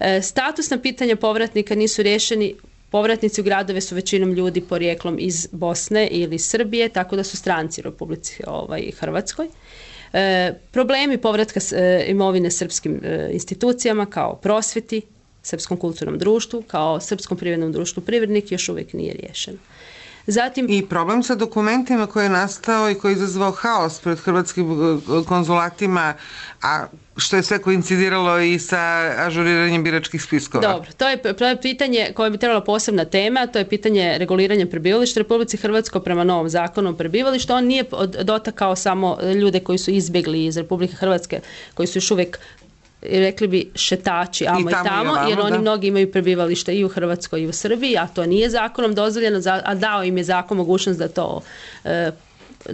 E, statusna pitanja povratnika nisu riješeni. Povratnici u gradove su većinom ljudi porijeklom iz Bosne ili Srbije, tako da su stranci u Republici ovaj, Hrvatskoj. E, problemi povratka e, imovine srpskim e, institucijama kao prosvjeti, Srpskom kulturnom društvu, kao Srpskom privrednom društvu Privrednik još uvijek nije riješen. Zatim, i problem sa dokumentima koji je nastao i koji je izazvao haos pred hrvatskim konzulatima, a što je sve koincidiralo i sa ažuriranjem biračkih spiskova. Dobro, to je, to je pitanje koje bi trebala posebna tema, to je pitanje reguliranja prebivališta. Republici Hrvatskoj prema novom zakonu o prebivalištu, on nije dotakao samo ljude koji su izbjegli iz Republike Hrvatske, koji su još uvijek, rekli bi, šetači amo i tamo, i tamo ovamo, jer oni da. Mnogi imaju prebivalište i u Hrvatskoj i u Srbiji, a to nije zakonom dozvoljeno, a dao im je zakon mogućnost da to e,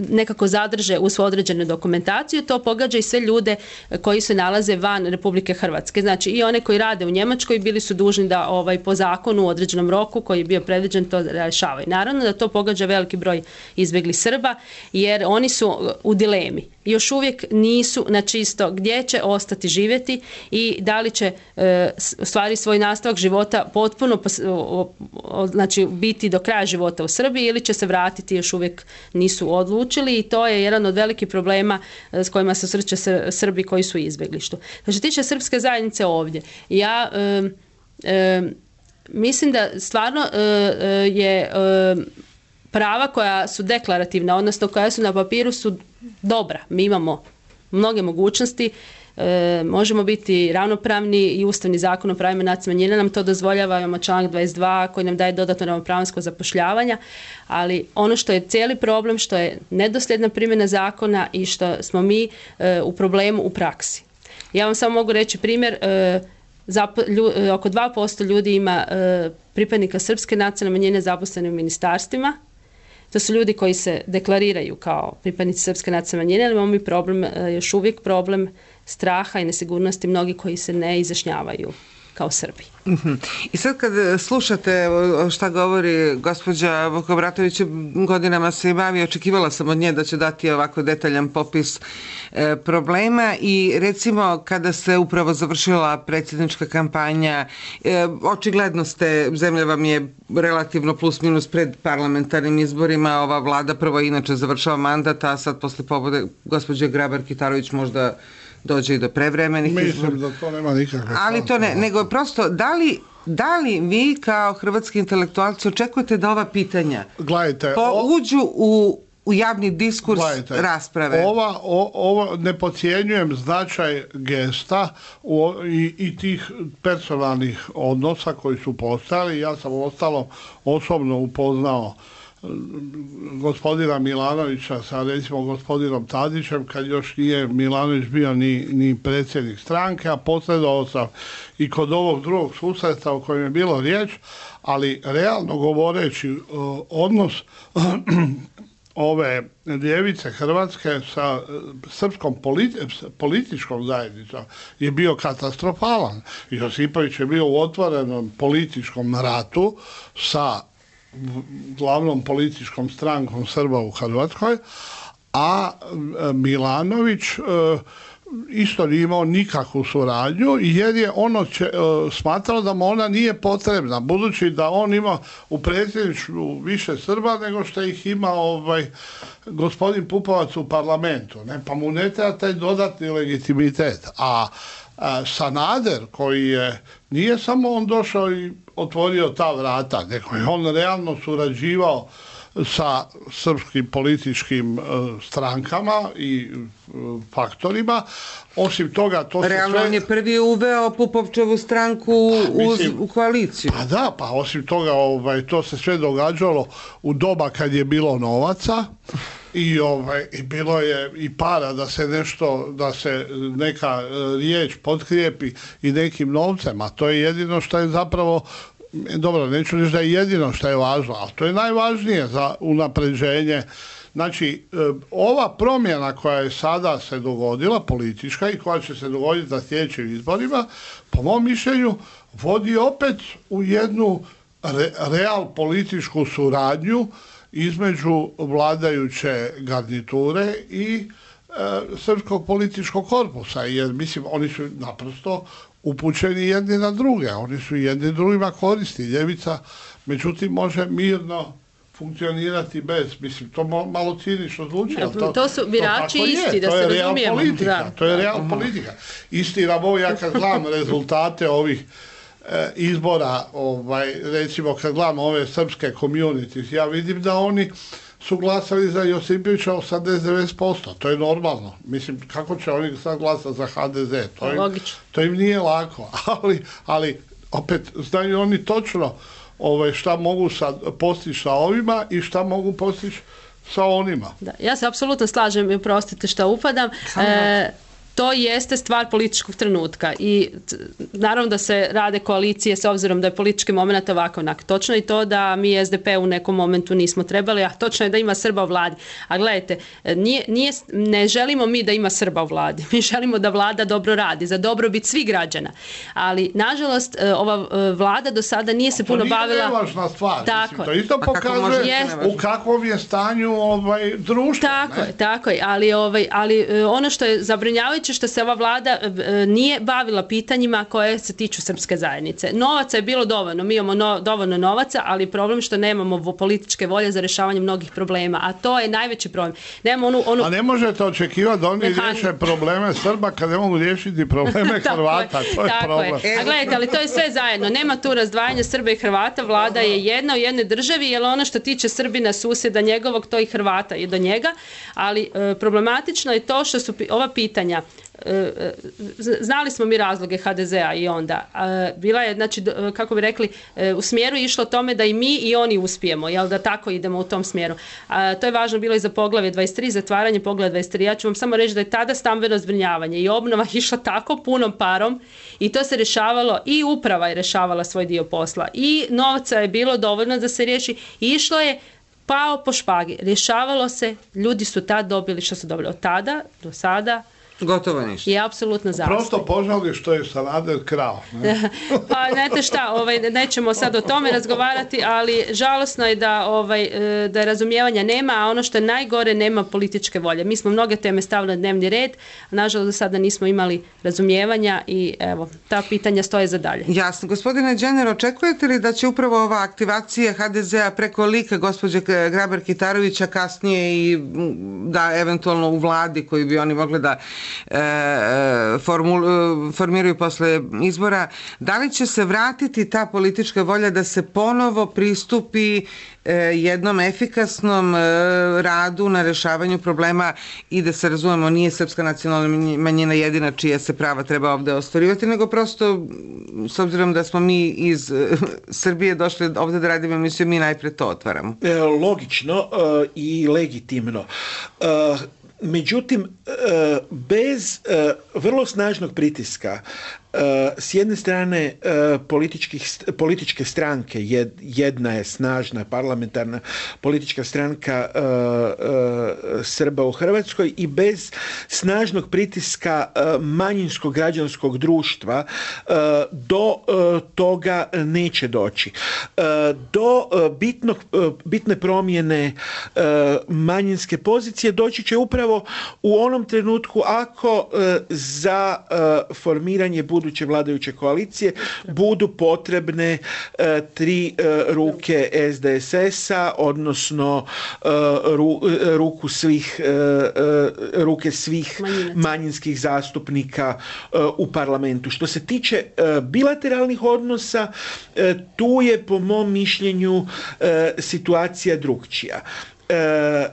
nekako zadrže u svoju određenu dokumentaciju. To pogađa i sve ljude koji se nalaze van Republike Hrvatske. Znači i one koji rade u Njemačkoj bili su dužni da ovaj, po zakonu u određenom roku koji je bio predviđen to rješavaju. Naravno da to pogađa veliki broj izbjeglih Srba jer oni su u dilemi. Još uvijek nisu na čisto gdje će ostati živjeti i da li će e, stvari svoj nastavak života potpuno o, o, znači biti do kraja života u Srbiji ili će se vratiti, još uvijek nisu odlučili i to je jedan od velikih problema s kojima se susreću Srbi koji su u izbjeglištu. Što se tiče srpske zajednice ovdje, ja e, e, mislim da stvarno e, je e, prava koja su deklarativna, odnosno koja su na papiru su dobra. Mi imamo mnoge mogućnosti, e, možemo biti ravnopravni i Ustavni zakon o pravima nacionalnih manjina nam to dozvoljava, imamo članak dvadeset dva koji nam daje dodatno ravnopravnost kod zapošljavanja, ali ono što je cijeli problem, što je nedosljedna primjena zakona i što smo mi e, u problemu u praksi. Ja vam samo mogu reći primjer, e, Zapo, lju, oko dva posto ljudi ima e, pripadnika srpske nacionalne manjine zaposlene u ministarstvima. To su ljudi koji se deklariraju kao pripadnici srpske nacionalne manjine, ali imamo mi problem, još uvijek problem straha i nesigurnosti mnogi koji se ne izjašnjavaju kao Srbi. Uh-huh. I sad kad slušate šta govori gospođa Vukobratović, godinama se i bavi, očekivala sam od nje da će dati ovako detaljan popis e, problema i recimo kada se upravo završila predsjednička kampanja, e, očigledno ste, zemlja vam je relativno plus minus pred parlamentarnim izborima, ova vlada prvo inače završava mandat, a sad posle pobode gospođe Grabar-Kitarović možda dođe i do prevremenih izbora. Mislim da to nema nikakve. Ali to ne, nego prosto, da li, da li vi kao hrvatski intelektualci očekujete da ova pitanja Gledajte, po, o... uđu u, u javni diskurs Gledajte, rasprave? Ova, o, ovo ne podcjenjujem značaj gesta u, i, i tih personalnih odnosa koji su postali. Ja sam ostalo osobno upoznao gospodina Milanovića sa recimo gospodinom Tadićem kad još nije Milanović bio ni, ni predsjednik stranke, a posredovao sam i kod ovog drugog susreta o kojem je bilo riječ, ali realno govoreći odnos ove ljevice Hrvatske sa srpskom politi političkom zajednicom je bio katastrofalan. Josipović je bio u otvorenom političkom ratu sa glavnom političkom strankom Srba u Hrvatskoj, a Milanović e, isto nije imao nikakvu suradnju jer je ono će, e, smatrao da mu ona nije potrebna, budući da on ima u predsjedništvu više Srba nego što ih ima ovaj, gospodin Pupovac u parlamentu, ne? Pa mu ne treba taj dodatni legitimitet. A Sanader, koji je, nije samo on došao i otvorio ta vrata, nego je on realno surađivao sa srpskim političkim strankama i faktorima. Osim toga, to se realno sve... on je prvi uveo Pupovčevu stranku u, mislim, u koaliciju. Pa da, pa osim toga ovaj, to se sve događalo u doba kad je bilo novaca i, ovaj, i bilo je i para da se nešto, da se neka riječ potkrijepi i nekim novcem, a to je jedino što je zapravo, dobro, neću reći da je jedino što je važno, ali to je najvažnije za unapređenje. Znači, ova promjena koja je sada se dogodila, politička, i koja će se dogoditi na sljedećim izborima, po mom mišljenju, vodi opet u jednu re, real političku suradnju između vladajuće garniture i e, srpskog političkog korpusa, jer mislim, oni su naprosto upućeni jedni na druge, oni su jedni drugima koristi. Ljevica, međutim, može mirno funkcionirati bez, mislim, to malo cinično zvuči, ali to, to su birači to isti, da to se je razumijemo. Politika, Da. to je real politika. Istina, ovo ja kad gledam rezultate ovih e, izbora, ovaj, recimo kad gledam ove srpske communities, ja vidim da oni su glasali za Josipovića osamdeset do devedeset posto. To je normalno. Mislim, kako će oni sad glasati za ha de ze? To im, to im nije lako. Ali, ali opet, znaju oni točno ovaj, šta mogu sad postići sa ovima i šta mogu postići sa onima. Da, ja se apsolutno slažem i oprostite što upadam. E, to jeste stvar političkog trenutka i t, naravno da se rade koalicije s obzirom da je politički moment ovako onak. Točno je to da mi es de pe u nekom momentu nismo trebali, a točno je da ima Srba u vladi. A gledajte, nije, nije, ne želimo mi da ima Srba u vladi. Mi želimo da vlada dobro radi, za dobrobit svih građana. Ali, nažalost, ova vlada do sada nije se puno bavila... To nije nevažna stvar. Tako Mislim, to isto pokazuje u kakvom je stanju ovaj, društvo. Tako ne? je, tako je. Ali, ovaj, ali ono što je zabrinjavajuće što se ova vlada e, nije bavila pitanjima koje se tiču srpske zajednice. Novaca je bilo dovoljno, mi imamo no, dovoljno novaca, ali problem što nemamo političke volje za rješavanje mnogih problema, a to je najveći problem. Nemamo onu, onu... A ne možete očekivati da oni Mehan... riješe probleme Srba kad ne mogu riješiti probleme Hrvata, to je tako problem. Je. A gledajte, ali to je sve zajedno, nema tu razdvajanja Srba i Hrvata, vlada je jedna u jednoj državi, jer ono što tiče Srbina, susjeda njegovog, to i Hrvata je do njega, ali e, problematično je to što su ova pitanja. Znali smo mi razloge ha de zea i onda. Bila je, znači, kako bi rekli, u smjeru išlo tome da i mi i oni uspijemo, jel da tako idemo u tom smjeru. To je važno bilo i za poglavlje dvadeset tri, zatvaranje poglavlja dvadeset tri. Ja ću vam samo reći da je tada stambeno zbrinjavanje i obnova išla tako punom parom i to se rješavalo i uprava je rješavala svoj dio posla i novca je bilo dovoljno da se riješi i išlo je pao po špagi. Rješavalo se, ljudi su tad dobili što su dobili od tada do sada. Gotovo ništa. Je apsolutno zastoj. Prosto požali što je Sanader krao. Ne? Pa znate šta, ovaj, nećemo sad o tome razgovarati, ali žalosno je da, ovaj, da je razumijevanja nema, a ono što je najgore, nema političke volje. Mi smo mnoge teme stavili na dnevni red, a nažalost do sada nismo imali razumijevanja i evo, ta pitanja stoje za dalje. Jasno. Gospodine Đener, očekujete li da će upravo ova aktivacija ha de zea preko lika gospođe Grabar-Kitarovića kasnije i da eventualno u vladi koju bi oni mogli da Formul, formiraju posle izbora, da li će se vratiti ta politička volja da se ponovo pristupi jednom efikasnom radu na rešavanju problema i da se razumemo, nije srpska nacionalna manjina jedina čija se prava treba ovde ostvarivati, nego prosto s obzirom da smo mi iz Srbije došli ovde da radimo emisiju, mi najpre to otvaramo. Logično i legitimno. Međutim, bez vrlo snažnog pritiska s jedne strane političke stranke, jedna je snažna parlamentarna politička stranka Srba u Hrvatskoj i bez snažnog pritiska manjinskog građanskog društva do toga neće doći. Do bitnog, bitne promjene manjinske pozicije doći će upravo u onom trenutku ako za formiranje budućnosti buduće vladajuće koalicije budu potrebne e, tri e, ruke S D S S-a, odnosno e, ru, e, ruku svih, e, e, ruke svih Manjinaca. manjinskih zastupnika e, u parlamentu. Što se tiče e, bilateralnih odnosa, e, tu je po mom mišljenju e, situacija drukčija. E,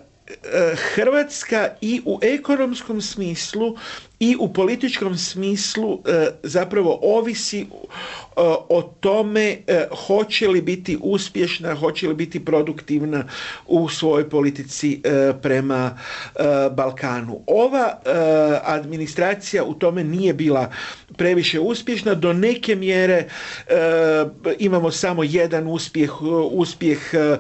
Hrvatska i u ekonomskom smislu i u političkom smislu e, zapravo ovisi e, o tome e, hoće li biti uspješna, hoće li biti produktivna u svojoj politici e, prema e, Balkanu. Ova e, administracija u tome nije bila previše uspješna. Do neke mjere e, imamo samo jedan uspjeh, uspjeh e, e,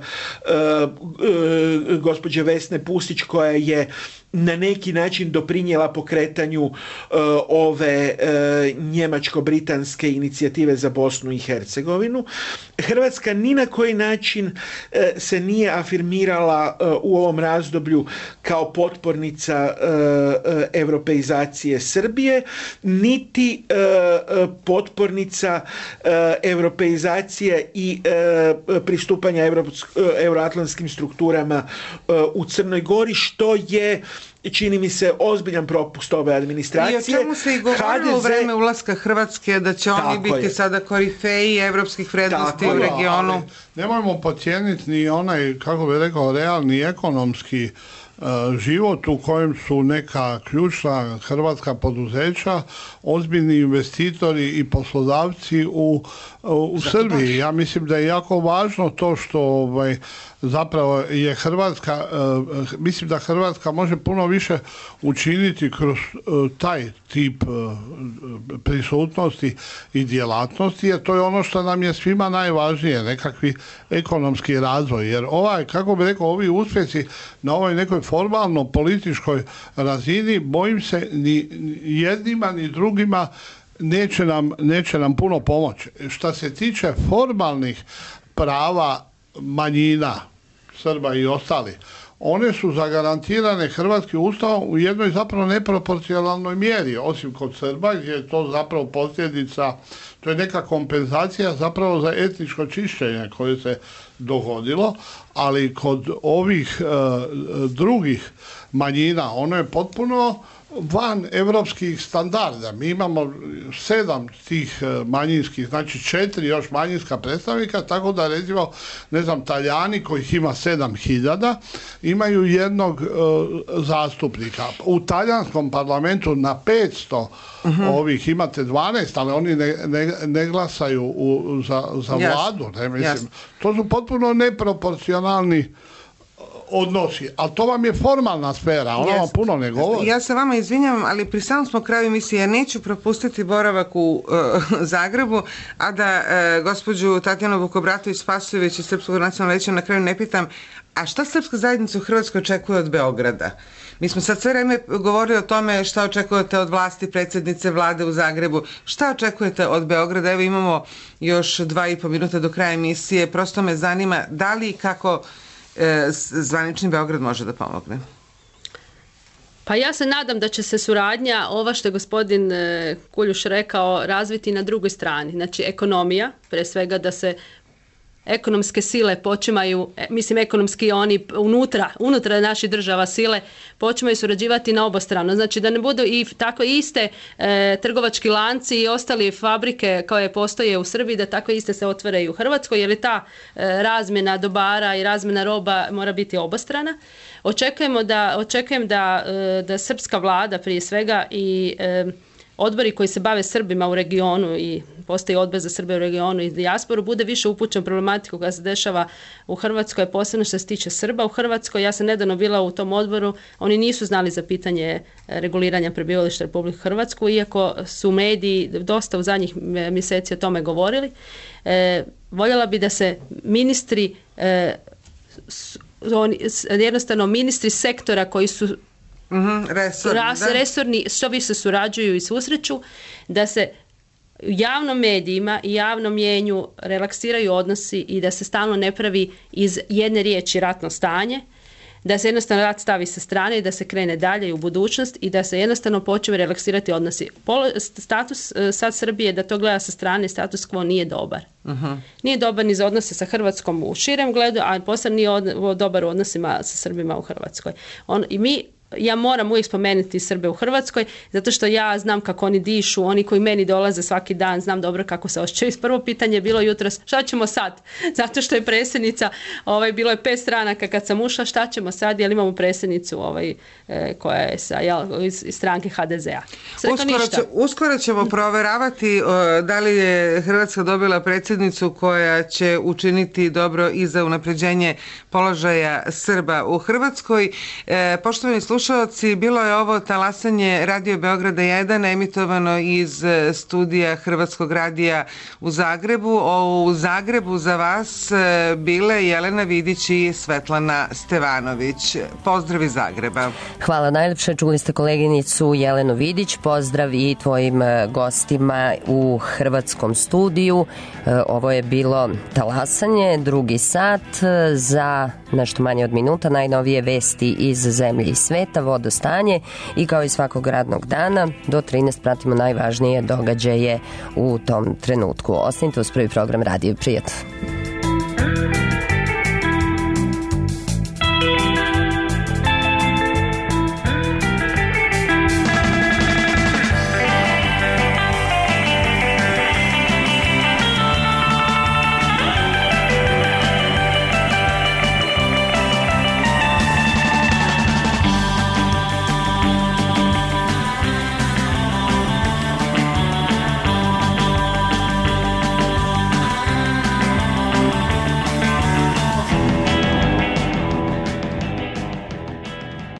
gospođe Vesne Pusić, koja je na neki način doprinijela pokretanju uh, ove uh, njemačko-britanske inicijative za Bosnu i Hercegovinu. Hrvatska ni na koji način uh, se nije afirmirala uh, u ovom razdoblju kao potpornica uh, uh, europeizacije Srbije, niti uh, potpornica uh, europeizacije i uh, pristupanja Evropsk- uh, euroatlantskim strukturama uh, u Crnoj Gori, što je, čini mi se, ozbiljan propust ove administracije. I o čemu se i govorilo u vreme ulaska Hrvatske, da će oni biti je. sada korifeji evropskih vrednosti u regionu. Ali nemojmo podcijeniti ni onaj, kako bi rekao, realni ekonomski uh, život u kojem su neka ključna hrvatska poduzeća, ozbiljni investitori i poslodavci u, u, u Srbiji. Ja mislim da je jako važno to što ovaj, zapravo je Hrvatska, uh, mislim da Hrvatska može puno više učiniti kroz uh, taj tip uh, prisutnosti i djelatnosti, jer to je ono što nam je svima najvažnije, nekakvi ekonomski razvoj. Jer ovaj, kako bi rekao, ovi uspjesi na ovoj nekoj formalno političkoj razini, bojim se ni jednima ni drugima neće nam, neće nam puno pomoći. Što se tiče formalnih prava manjina, Srba i ostali, one su zagarantirane Hrvatskim ustavom u jednoj zapravo neproporcionalnoj mjeri, osim kod Srba, gdje je to zapravo posljedica, to je neka kompenzacija zapravo za etničko čišćenje koje se dogodilo, ali kod ovih e, drugih manjina ono je potpuno van evropskih standarda. Mi imamo sedam tih manjinskih, znači četiri još manjinska predstavnika, tako da recimo, ne znam, Talijani kojih ima sedam hiljada imaju jednog uh, zastupnika. U talijanskom parlamentu na petsto uh-huh. ovih imate dvanaest, ali oni ne, ne, ne glasaju u, za, za yes. vladu. Ne, mislim. Yes. To su potpuno neproporcionalni odnosi, ali to vam je formalna sfera, ona yes. vam puno ne govori. Ja se vama izvinjavam, ali pri samom smo kraju emisije, ja neću propustiti boravak u uh, Zagrebu, a da uh, gospođu Tatjanu Vukobratović-Spasojević iz Srpskog nacionalnog vijeća na kraju ne pitam, a šta srpska zajednica u Hrvatskoj očekuje od Beograda? Mi smo sad sve vreme govorili o tome šta očekujete od vlasti predsjednice vlade u Zagrebu. Šta očekujete od Beograda? Evo imamo još dva i po minuta do kraja emisije. Prosto me zanima da li i kako e, zvanični Beograd može da pomogne. Pa ja se nadam da će se suradnja, ova što je gospodin Kuljuš rekao, razviti na drugoj strani. Znači ekonomija, pre svega da se ekonomske sile počimaju, mislim ekonomski oni unutra, unutra naših država sile počimaju surađivati na obostrano. Znači da ne budu i tako iste e, trgovački lanci i ostali fabrike koje postoje u Srbiji, da tako iste se otvaraju u Hrvatskoj, jer je ta e, razmjena dobara i razmjena roba mora biti obostrana. Očekujemo da, očekujem da, e, da srpska vlada prije svega i e, odbori koji se bave Srbima u regionu i postoji odbor za Srbe u regionu i dijasporu, bude više upućen problematiku koja se dešava u Hrvatskoj, posebno što se tiče Srba u Hrvatskoj. Ja sam nedavno bila u tom odboru, oni nisu znali za pitanje reguliranja prebivališta Republike Hrvatsku, iako su mediji dosta u zadnjih mjeseci o tome govorili. E, voljela bi da se ministri, e, s, oni, jednostavno ministri sektora koji su Mm-hmm, resorni, ras, resorni, što više surađuju i susreću, da se u javnom medijima i javnom mjenju relaksiraju odnosi i da se stalno ne pravi iz jedne riječi ratno stanje, da se jednostavno rat stavi sa strane i da se krene dalje i u budućnost i da se jednostavno počne relaksirati odnosi. Polo, status sad Srbije, da to gleda sa strane, status quo nije dobar. Uh-huh. Nije dobar ni za odnose sa Hrvatskom u širem gledu, a posebno nije od, dobar u odnosima sa Srbima u Hrvatskoj. On, i mi ja moram uvijek spomenuti Srbe u Hrvatskoj, zato što ja znam kako oni dišu, oni koji meni dolaze svaki dan, znam dobro kako se osjećaju. Prvo pitanje je bilo jutros, šta ćemo sad? Zato što je predsjednica, ovaj, bilo je pet stranaka kad sam ušla, šta ćemo sad, jer imamo predsjednicu ovaj, e, koja je sa, jel, iz, iz stranke ha de zea. Uskoro, će, uskoro ćemo proveravati o, da li je Hrvatska dobila predsjednicu koja će učiniti dobro i za unapređenje položaja Srba u Hrvatskoj. E, poštovani slušalci, Slušalci, bilo je ovo talasanje Radio Beograda jedan, emitovano iz studija Hrvatskog radija u Zagrebu. O, u Zagrebu za vas bile Jelena Vidić i Svetlana Stevanović. Pozdrav iz Zagreba. Hvala najlepše, čuli ste koleginicu Jelenu Vidić, pozdrav i tvojim gostima u Hrvatskom studiju. Ovo je bilo talasanje, drugi sat, za nešto manje od minuta najnovije vesti iz zemlje i sveta, vodostanje i kao i svakog radnog dana do trinaest pratimo najvažnije događaje u tom trenutku. Ostanite uz prvi program Radio Prijatno.